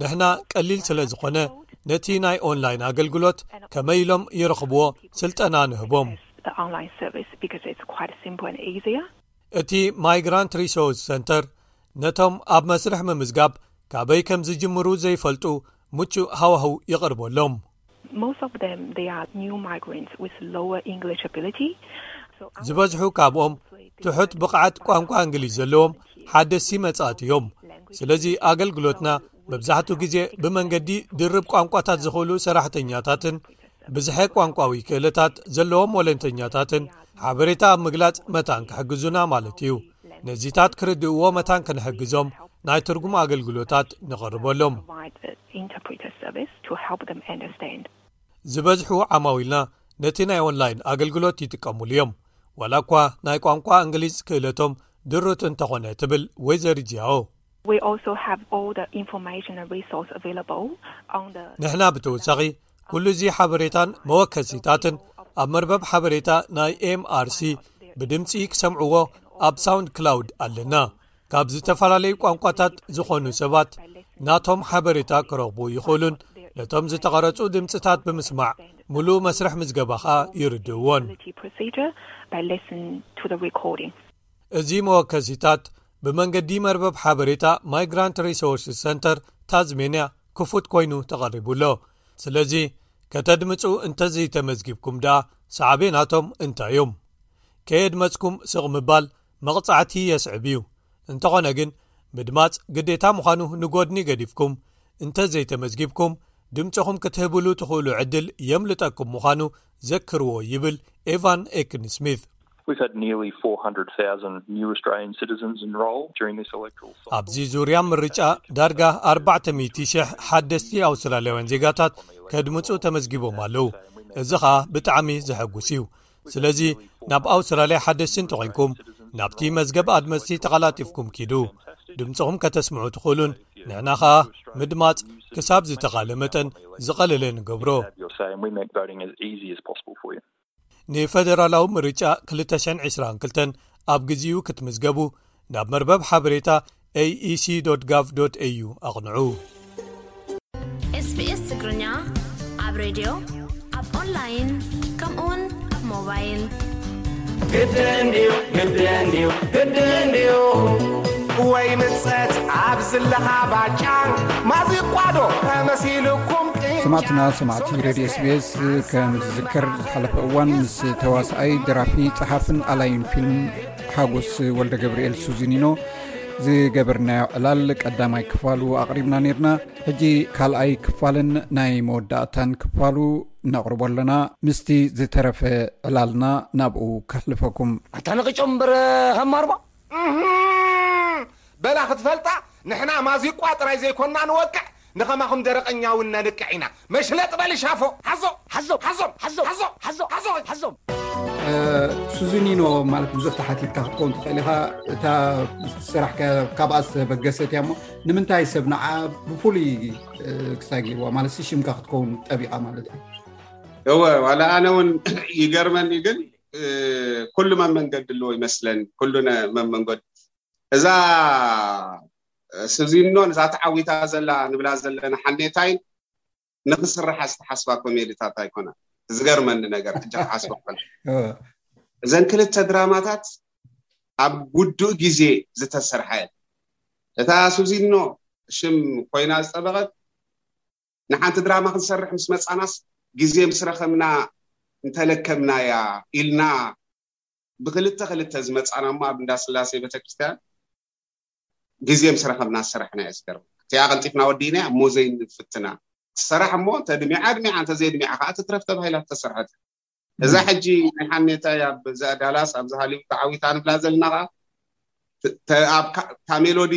ንሕና ቀሊል ስለ ዝኾነ ነቲ ናይ ኦንላይን ኣገልግሎት ከመይ ኢሎም ይረኽብዎ ስልጠና ንህቦም። The online service because it's quite simple and easier. እቲ ማይግራንት ሪሶርስ ሰንተር ነቶም ኣብ መስርሕ ምምዝጋብ ካበይ ከም ዝጅምሩ ዘይፈልጡ ምቹእ ሃዋህው ይቕርበሎም። Most of them, they are new migrants with lower English ability. So our ዝበዝሑ ካብኦም ትሑት ብቕዓት ቋንቋ እንግሊዝ ዘለዎም ሓደስቲ መጻእቲ እዮም። ስለዚ ኣገልግሎትና መብዛሕትኡ ግዜ ብመንገዲ ድርብ ቋንቋታት ዝኽእሉ ሰራሕተኛታትን ብዝሐ ቋንቋዊ ክእለታት ዘለዎም ወለንተኛታትን ሓበሬታ ኣብ ምግላጽ መታን ክሕግዙና ማለት እዩ። ነዚታት ክርድእዎ መታን ክንሕግዞም ናይ ትርጉም ኣገልግሎታት ንቐርበሎም። Provide the interpreter service to help them understand. ዝበዝሑ ዓማዊልና ነቲ ናይ ኦንላይን ኣገልግሎት ይጥቀሙሉ እዮም፣ ዋላ እኳ ናይ ቋንቋ እንግሊዝ ክእለቶም ድሩት እንተኾነ፣ ትብል ወይዘሪት ጂያኦ። We also have all the information and resource available on the ንሕና ብተወሳኺ ኩሉ እዚ ሓበሬታን መወከሲታትን ኣብ መርበብ ሓበሬታ ናይ ኤምኣርሲ ብድምጺ ክሰምዕዎ ኣብ ሳውንድ ክላውድ ኣለና። ካብ ዝተፈላለዩ ቋንቋታት ዝኾኑ ሰባት ናቶም ሓበሬታ ክረኽቡ ይኽእሉን ነቶም ዝተቐረጹ ድምጽታት ብምስማዕ ምሉእ መስርሕ ምዝገባ ኸኣ ይርድእዎን። Procedure by listening to the recording. እዚ መወከሲታት ብመንገዲ መርበብ ሓበሬታ ማይግራንት ሪሶርስ ሰንተር ታዝሜንያ ክፉት ኮይኑ ተቐሪቡ ኣሎ። ስለዚ ከተድምፁ እንተዘይተመዝጊብኩም ደኣ ሳዕቤናቶም እንታይ እዮም? ከየድመፅኩም ስቕ ምባል መቕፃዕቲ የስዕብ እዩ። እንተኾነ ግን ምድማፅ ግዴታ ምዃኑ ንጎድኒ ገዲፍኩም እንተዘይተመዝጊብኩም ድምፅኹም ክትህብሉ ትኽእሉ ዕድል የምልጠኩም ምዃኑ ዘክርዎ ይብል ኤቫን ኤክን ስሚት። We've had nearly four hundred thousand new Australian citizens enrol during this electoral cycle. ኣብዚ ዙርያ ምርጫ ዳርጋ ኣርባዕተ ሚእቲ ሽሕ ሓደስቲ ኣውስትራልያውያን ዜጋታት ከድምፁ ተመዝጊቦም ኣለዉ። እዚ ኸኣ ብጣዕሚ ዘሐጉስ እዩ። ስለዚ ናብ ኣውስትራልያ ሓደስቲ እንተኾይንኩም ናብቲ መዝገብ ኣድመፅቲ ተቐላጢፍኩም ኪዱ ድምፅኹም ከተስምዑ ትኽእሉን ንሕና ኸኣ ምድማፅ ክሳብ ዝተኻለ መጠን ዝቐለለ ንገብሮ። You're saying we make voting as easy as possible for you. ንፈደራላዊ ምርጫ ክልተ ሽሕን ዕስራን ክልተን ኣብ ግዜኡ ክትምዝገቡ ናብ መርበብ ሓበሬታ ኤኢሲ ዶት ጋቭ ዶት ኤዩ ኣቕንዑ። ኤስቢኤስ ትግርኛ ኣብ ሬድዮ ኣብ ኦንላይን ከምኡውን ኣብ ሞባይል ግድን ድዩ ግድን ድዩ ግድን ድዩ ወይ ምጸት ኣብ ዝለኻ ባጫ ማዚቋዶ ተመሲልኩም ሰማዕትና ሰማዕቲ ሬድዮ ኤስቢኤስ ከም ዝዝከር ዝሓለፈ እዋን ምስ ተዋስኣይ ደራፊ ጸሓፍን ኣላይን ፊልም ሓጎስ ወልደ ገብርኤል ሱዚኒኖ ዝገበርናዮ ዕላል ቀዳማይ ክፋሉ ኣቕሪብና ነርና። ሕጂ ካልኣይ ክፋልን ናይ መወዳእታን ክፋሉ ነቕርቦ ኣለና። ምስቲ ዝተረፈ ዕላልና ናብኡ ከሕልፈኩም። ኣታ ነቒጮም እምበር ሃማርባ በላ ክትፈልጣ ንሕና ማዚቋ ጥራይ ዘይኮና ንወቅዕ ንኸማኹም ደረቐኛ እውን ነንቅዕ ኢና። መሽለጥ በል ሻፎ ሓዞ ሓዞ ሓዞ ሓዞ ሓዞ ሓዞ ሓዞ ሓዞ ሱዚኒኖ ማለት ብዙሕ ተሓቲትካ ክትከውን ትኽእል ኢኻ። እታ ስራሕ ካብኣ ዝተበገሰት እያ እሞ ንምንታይ ሰብ ንዓ ብፍሉይ ክሳይ ገይርዋ ማለት ሽምካ ክትከውን ጠቢቓ ማለት እዩ። እወ ዋላ ኣነ እውን ይገርመኒ ግን ኩሉ መመንገዲ ኣለዎ ይመስለኒ። ኩሉ መመንገዲ እዛ ስዚኖን እዛ ተዓዊታ ዘላ ንብላ ዘለና ሓኔታይን ንክስርሓ ዝተሓስባ ኮሜዲታት ኣይኮና። ዝገርመኒ ነገር ሕጂ ክሓስባ ከሎ እዘን ክልተ ድራማታት ኣብ ውዱእ ግዜ ዝተሰርሓ እየን። እታ ሱዚኖ ሽም ኮይና ዝጠበቐት ንሓንቲ ድራማ ክንሰርሕ ምስ መጻናስ ግዜ ምስ ረኸብና እንተለከብናያ ኢልና ብክልተ ክልተ ዝመጻና እሞ ኣብ እንዳስላሴ ቤተክርስትያን ግዜ ምስ ረኸብና ዝሰራሕና እየ ዝገርም። እቲኣ ቀልጢፍና ወዲእና እሞ ዘይንፍትና ትሰራሕ እሞ እንተድሚዓ ኣድሚዓ እንተዘይድሚዓ ከዓ ትትረፍ ተባሂላ ተሰርሐት። እዛ ሕጂ ናይ ሓኔታይ ኣብ እዛ ዳላስ ኣብዚ ሃሊውድ ተዓዊታ ንብላ ዘለና ከዓ እታ ሜሎዲ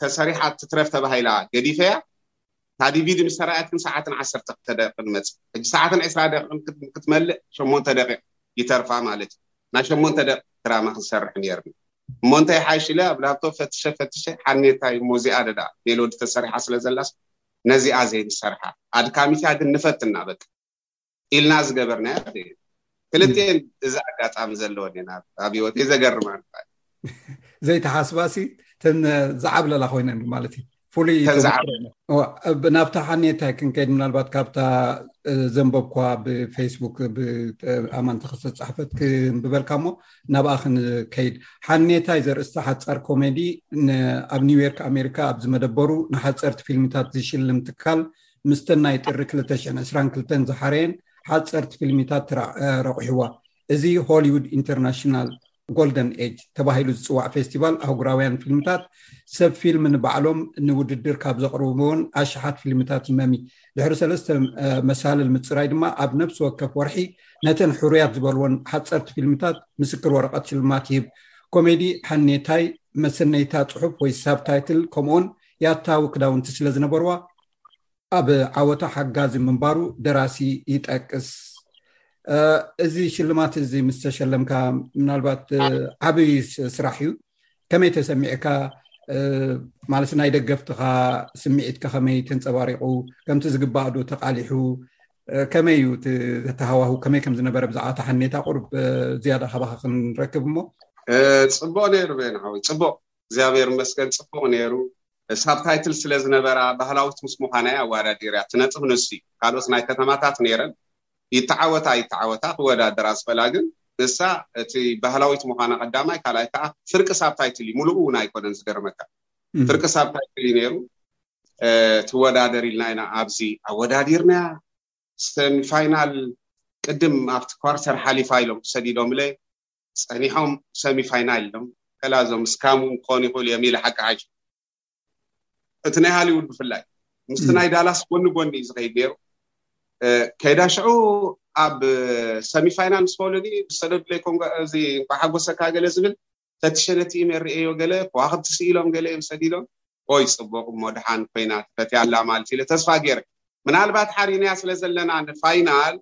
ተሰሪሓ ትትረፍ ተባሂላ ገዲፈያ እታ ዲቪዲ ምስ ተረኣየት ግን ሰዓትን ዓሰርተ ክልተ ደቂቕ ንመጽእ። ሕጂ ሰዓትን ዕስራ ደቂቕ ክትመልእ ሸሞንተ ደቂቕ ይተርፋ ማለት እዩ። ናይ ሸሞንተ ደቂቕ ድራማ ክንሰርሕ ነይርና እሞ እንታይ ሓይሽ ኢለ ኣብ ላፕቶፕ ፈትሸ ፈትሸ ሓኔታይ እሞ እዚኣ ደዳ ሜሎዲ ተሰሪሓ ስለ ዘላስ ነዚኣ ዘይንሰርሓ ኣድካሚት እያ ግን ንፈትና በቃ ኢልና ዝገበርናያ። ክልቲኤን እዚ ኣጋጣሚ ዘለወን እየን ኣብ ህይወተይ ዘገርማ። ዘይተሓስባሲ ተን ዝዓብለላ ኮይነን ማለት እዩ። ፍሉይ ናብታ ሓኔታይ ክንከይድ ምናልባት ካብታ ዘንበብኳ ብፌስቡክ ኣማን ተኸስተ ዝፀሓፈት ክንብበልካ እሞ ናብኣ ክንከይድ። ሓኔታይ ዘርእስታ ሓፃር ኮሜዲ ኣብ ኒውዮርክ ኣሜሪካ ኣብ ዝመደበሩ ንሓፀርቲ ፊልምታት ዝሽልም ትካል ምስተን ናይ ጥሪ ክልተ ሽሕን ዕስራን ክልተን ዝሓረየን ሓፀርቲ ፊልሚታት ረቑሕዋ። እዚ ሆሊውድ ኢንተርናሽናል ጎልደን ኤጅ ተባሂሉ ዝፅዋዕ ፌስቲቫል ኣህጉራውያን ፊልምታት ሰብ ፊልም ንባዕሎም ንውድድር ካብ ዘቕርብዎን ኣሽሓት ፊልምታት ይመሚ። ድሕሪ ሰለስተ መሳልል ምፅራይ ድማ ኣብ ነፍሲ ወከፍ ወርሒ ነተን ሕሩያት ዝበልወን ሓፀርቲ ፊልምታት ምስክር ወረቐት ሽልማት ይህብ። ኮሜዲ ሓኔታይ መሰነይታ ፅሑፍ ወይ ሳብታይትል ከምኡውን ያታዊ ክዳውንቲ ስለ ዝነበርዋ ኣብ ዓወታ ሓጋዚ ምንባሩ ደራሲ ይጠቅስ። እዚ ሽልማት እዚ ምስ ተሸለምካ ምናልባት ዓብዪ ስራሕ እዩ። ከመይ ተሰሚዕካ? ማለት ናይ ደገፍትኻ ስምዒትካ ከመይ ተንፀባሪቑ? ከምቲ ዝግባእ ዶ ተቓሊሑ? ከመይ እዩ እቲ ተሃዋሁ ከመይ ከም ዝነበረ ብዛዕባ ተሓኔታ ቁሩብ ዝያዳ ካባኻ ክንረክብ እሞ። ፅቡቕ ነይሩ ቤን ሓወይ፣ ፅቡቕ እግዚኣብሔር ይመስገን ፅቡቕ ነይሩ። ሳብታይትል ስለ ዝነበራ ባህላዊት ምስ ምዃና እያ ኣዋዳዲርያ ትነጥፍ ንሱ እዩ። ካልኦት ናይ ከተማታት ነይረን ይተዓወታ ይተዓወታ ክወዳደራ ዝኽእላ ግን ንሳ እቲ ባህላዊት ምዃና ቀዳማይ፣ ካልኣይ ከዓ ፍርቂ ሳብታይትል እዩ፣ ሙሉኡ እውን ኣይኮነን። ዝገርመካ ፍርቂ ሳብታይትል እዩ ነይሩ። ትወዳደር ኢልና ኢና ኣብዚ ኣወዳዲርናያ። ሰሚፋይናል ቅድም ኣብቲ ኳርተር ሓሊፋ ኢሎም ሰዲዶምለ፣ ጸኒሖም ሰሚፋይናል ኢሎም። ከላ እዞም ስካም ክኾኑ ይኽእሉ እዮም ኢለ ሓቂ ሓቂ እቲ ናይ ሃሊውድ ብፍላይ ምስቲ ናይ ዳላስ ጎኒ ጎኒ እዩ ዝኸይድ ነይሩ። ከይዳ ሽዑ ኣብ ሰሚፋይናል ምስ በሉኒ፣ ዝሰደዱለይ ኮንጋ እዚ እንኳ ሓጎሰካ ገለ ዝብል ፈትሸ ነቲ ኢሜል ርእየዮ፣ ገለ ከዋኽብቲ ስኢሎም ገለ እዮም ሰዲዶም። ኦይ ጽቡቕ እሞ ደሓን ኮይና ተፈትያ ኣላ ማለት ኢለ ተስፋ ገይረ። ምናልባት ሓሪናያ ስለ ዘለና ንፋይናል፣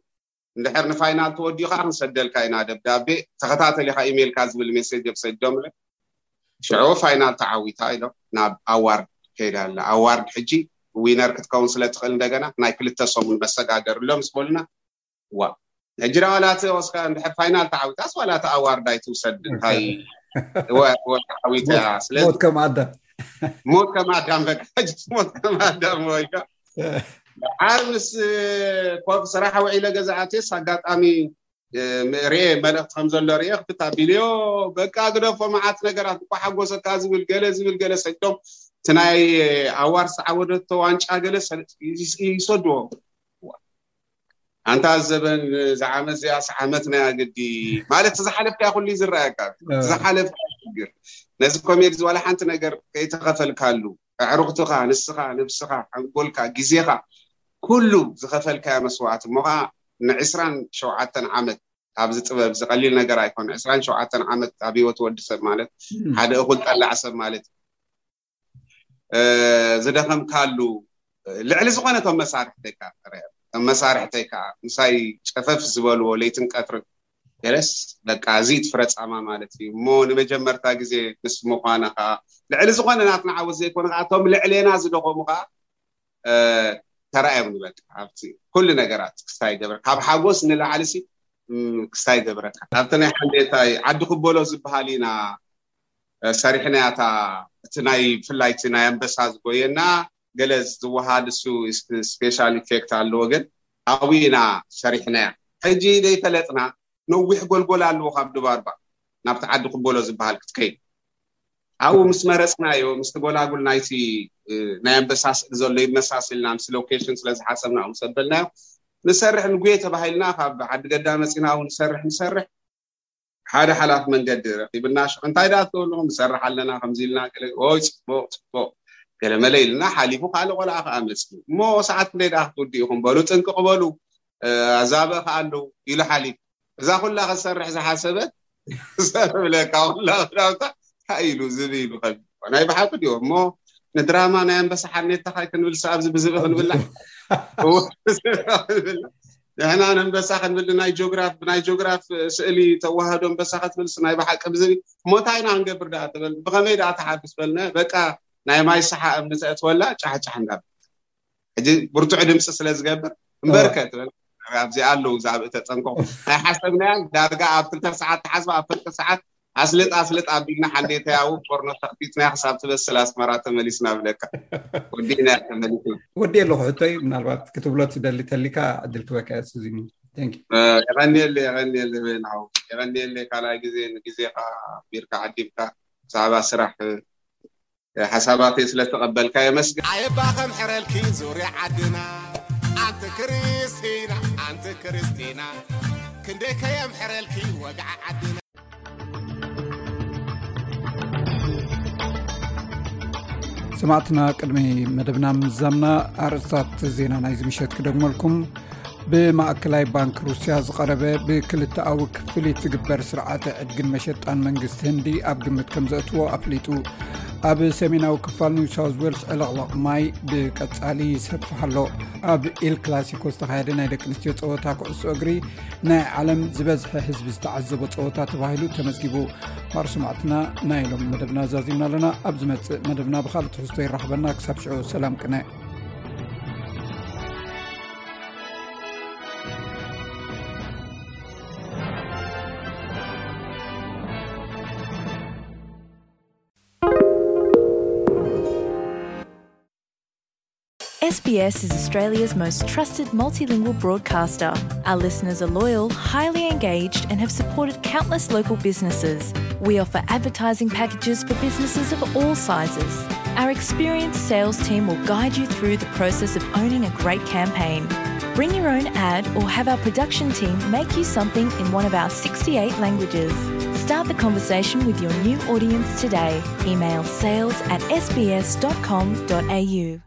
እንድሕር ንፋይናል ተወዲኡ ከዓ ክንሰደልካ ኢና ደብዳቤ፣ ተኸታተል ኢኻ ኢሜልካ ዝብል ሜሴጅ እዮም ሰዲዶምለ። ሽዑ ፋይናል ተዓዊታ ኢሎም ናብ ኣዋርድ ከይዳ ኣላ። ኣዋርድ ሕጂ ዊነር ክትከውን ስለ ትኽእል እንደገና ናይ ክልተ ሰሙን መሰጋገር ኣሎ ምስ በሉና፣ ዋ ሕጂ ዳ ዋላ እቲ ወስካ እንድሕር ፋይናል ተዓዊታስ ዋላ እቲ ኣዋርድ ኣይትውሰድ እንታይ ወ- ወ- ተዓዊታ እያ። ስለዚ ሞት ከም ኣዳም ሞት ከም ኣዳም በቃ ሕጂ ሞት ከም ኣዳም ወይካ ደሓር ምስ ኮፍ ስራሕ ውዒለ ገዛ ኣትየስ ኣጋጣሚ ርኤ መልእክቲ ከም ዘሎ ርኤ ክፍታ ቢልዮ በቃ ግደፎ መዓት ነገራት እኳ ሓጎሰካ ዝብል ገለ ዝብል ገለ ሰዶም እቲ ናይ ኣዋር ዝዓወደቶ ዋንጫ ገለ ይሰድዎ ኣንታ ዘበን ዝዓመት እዚኣስ ዓመት ናይ ኣግዲ ማለት ዝሓለፍካ ኩሉ ዝረኣየካ ዝሓለፍካ ሽግር ነዚ ኮሜዲ ዝዋላ ሓንቲ ነገር ከይተኸፈልካሉ ኣዕሩኽትኻ ንስኻ ነብስኻ ሓንጎልካ ግዜኻ ኩሉ ዝኸፈልካዮ መስዋዕቲ እሞ ከዓ ንዕስራን ሸውዓተን ዓመት ኣብዚ ጥበብ እዚ ቀሊል ነገር ኣይኮነ ዕስራን ሸውዓተን ዓመት ኣብ ህይወት ወዲ ሰብ ማለት ሓደ እኹል ጠላዕ ሰብ ማለት ዝደኸምካሉ ልዕሊ ዝኾነ እቶም መሳርሕተይ ከዓ ከም መሳርሕተይ ከዓ ምሳይ ጨፈፍ ዝበልዎ ለይትን ቀትርን ገለስ በቃ እዚ ትፍረ ፃማ ማለት እዩ እሞ ንመጀመርታ ግዜ ምስ ምኳና ከዓ ልዕሊ ዝኾነ ናትና ዓወት ዘይኮነ ከዓ እቶም ልዕሌና ዝደኸሙ ከዓ ተራእዮም ንበል ኣብቲ ኩሉ ነገራት ክስታይ ገብረ ካብ ሓጎስ ንላዕሊ ሲ ክስታይ ገብረካ ኣብቲ ናይ ሓንዴታይ ዓዲ ክበሎ ዝበሃል ኢና ሰሪሕናያ እታ እቲ ናይ ብፍላይ እቲ ናይ ኣንበሳ ዝጎየና ገለ ዝወሃድ እሱ ስፔሻል ኢፌክት ኣለዎ ግን ኣብኡ ኢና ሰሪሕናያ ሕጂ ዘይፈለጥና ነዊሕ ጎልጎል ኣለዎ ካብ ድባርባ ናብቲ ዓዲ ክበሎ ዝበሃል ክትከይድ ኣብኡ ምስ መረፅናዮ ምስቲ ጎላጉል ናይቲ ናይ ኣንበሳ ስእሊ ዘሎ ይመሳስልና ምስ ሎኬሽን ስለ ዝሓሰብና ምስ ኣበልናዮ ንሰርሕ ንጉየ ተባሂልና ካብ ዓዲ ገዳ መፂና እውን ንሰርሕ ንሰርሕ ሓደ ሓላፍ መንገዲ ረኪብና ሽዑ እንታይ ደኣ ትገብሉ ንሰርሕ ኣለና ከምዚ ኢልና ገለ ኦይ ፅቡቅ ፅቡቅ ገለመለ ኢልና ሓሊፉ ካልእ ቆልዓ ከዓ መፅኡ እሞ ሰዓት ክንደይ ደኣ ክትውድኡ ኢኹም በሉ ጥንቅቅ በሉ ኣዛብእ ከዓ ኣለዉ ኢሉ ሓሊፉ እዛ ኩላ ክትሰርሕ ዝሓሰበት ሰብ ብለካ ኩላ ክዳውታ እንታይ ኢሉ ዝብ ኢሉ ከ ናይ ብሓቂ ድዮ እሞ ንድራማ ናይ ኣንበሳ ሓኔታ ካይ ክንብል ኣብዚ ብዝብ ክንብላ ንሕና ንኣንበሳ ክንብል ናይ ጆግራፍ ብናይ ጆግራፍ ስእሊ ተዋህዶ ኣንበሳ ክትብልስ ናይ ብሓቂ ብዝብ እሞ እንታይ ኢና ክንገብር ደኣ ትብል ብኸመይ ደኣ ተሓፍስ በልነ በቃ ናይ ማይ ሰሓ እምኒ ተእትወላ ጫሕጫሕ እንዳብል ሕጂ ብርቱዕ ድምፂ ስለ ዝገብር እምበርከ ትብል ኣብዚኣ ኣለዉ ዛብ ተጠንቀቑ ናይ ሓሰብናያ ዳርጋ ኣብ ክልተ ሰዓት ተሓስባ ኣብ ፍርቂ ሰዓት ኣስልጥ ኣስልጥ ኣቢልና ሓንዴተይ ኣብኡ ፎርኖ ተኽፊትና ክሳብ ትበስል ኣስመራ ተመሊስና ብለካ ወዲእና ተመሊስና ወዲ ኣለኹ ሕቶይ ምናልባት ክትብሎ ትደሊ ተሊካ ዕድል ክበካ እያ ሱዚኒ Thank you. የቐንየለ የቐንየለ በይናው የቐንየለ ካልኣይ ግዜ ንግዜኻ ቢርካ ዓዲምካ ብዛዕባ ስራሕ ሓሳባተይ ስለተቐበልካ የመስግን። ኣየባ ከምሕረልኪ ዙርያ ዓድና ኣንቲ ክርስቲና ኣንቲ ክርስቲና ክንደይ ከየምሕረልኪ ወግዓ ዓድና። ሰማዕትና ቅድሚ መደብና ምዛምና ኣርእስታት ዜና ናይዚ ምሸት ክደግመልኩም። ብማእከላይ ባንክ ሩስያ ዝቐረበ ብክልተኣዊ ክፍሊት ዝግበር ስርዓተ ዕድግን መሸጣን መንግስቲ ህንዲ ኣብ ግምት ከም ዘእትዎ ኣፍሊጡ። ኣብ ሰሜናዊ ክፋል ኒው ሳውዝ ዌልስ ዕልቕልቕ ማይ ብቀጻሊ ይሰፍሕ ኣሎ። ኣብ ኤል ክላሲኮ ዝተኻየደ ናይ ደቂ ኣንስትዮ ጸወታ ኩዕሶ እግሪ ናይ ዓለም ዝበዝሐ ህዝቢ ዝተዓዘቦ ጸወታ ተባሂሉ ተመዝጊቡ። ማር ሰማዕትና ናይ ሎም መደብና ዛዚምና ኣለና። ኣብ ዝመጽእ መደብና ብኻልእ ትሕዝቶ ይራኽበና። ክሳብ ሽዑ ሰላም ቅነ። S B S is Australia's most trusted multilingual broadcaster. Our listeners are loyal, highly engaged, and have supported countless local businesses. We offer advertising packages for businesses of all sizes. Our experienced sales team will guide you through the process of owning a great campaign. Bring your own ad or have our production team make you something in one of our sixty-eight languages. Start the conversation with your new audience today. Email sales at S B S dot com dot A U.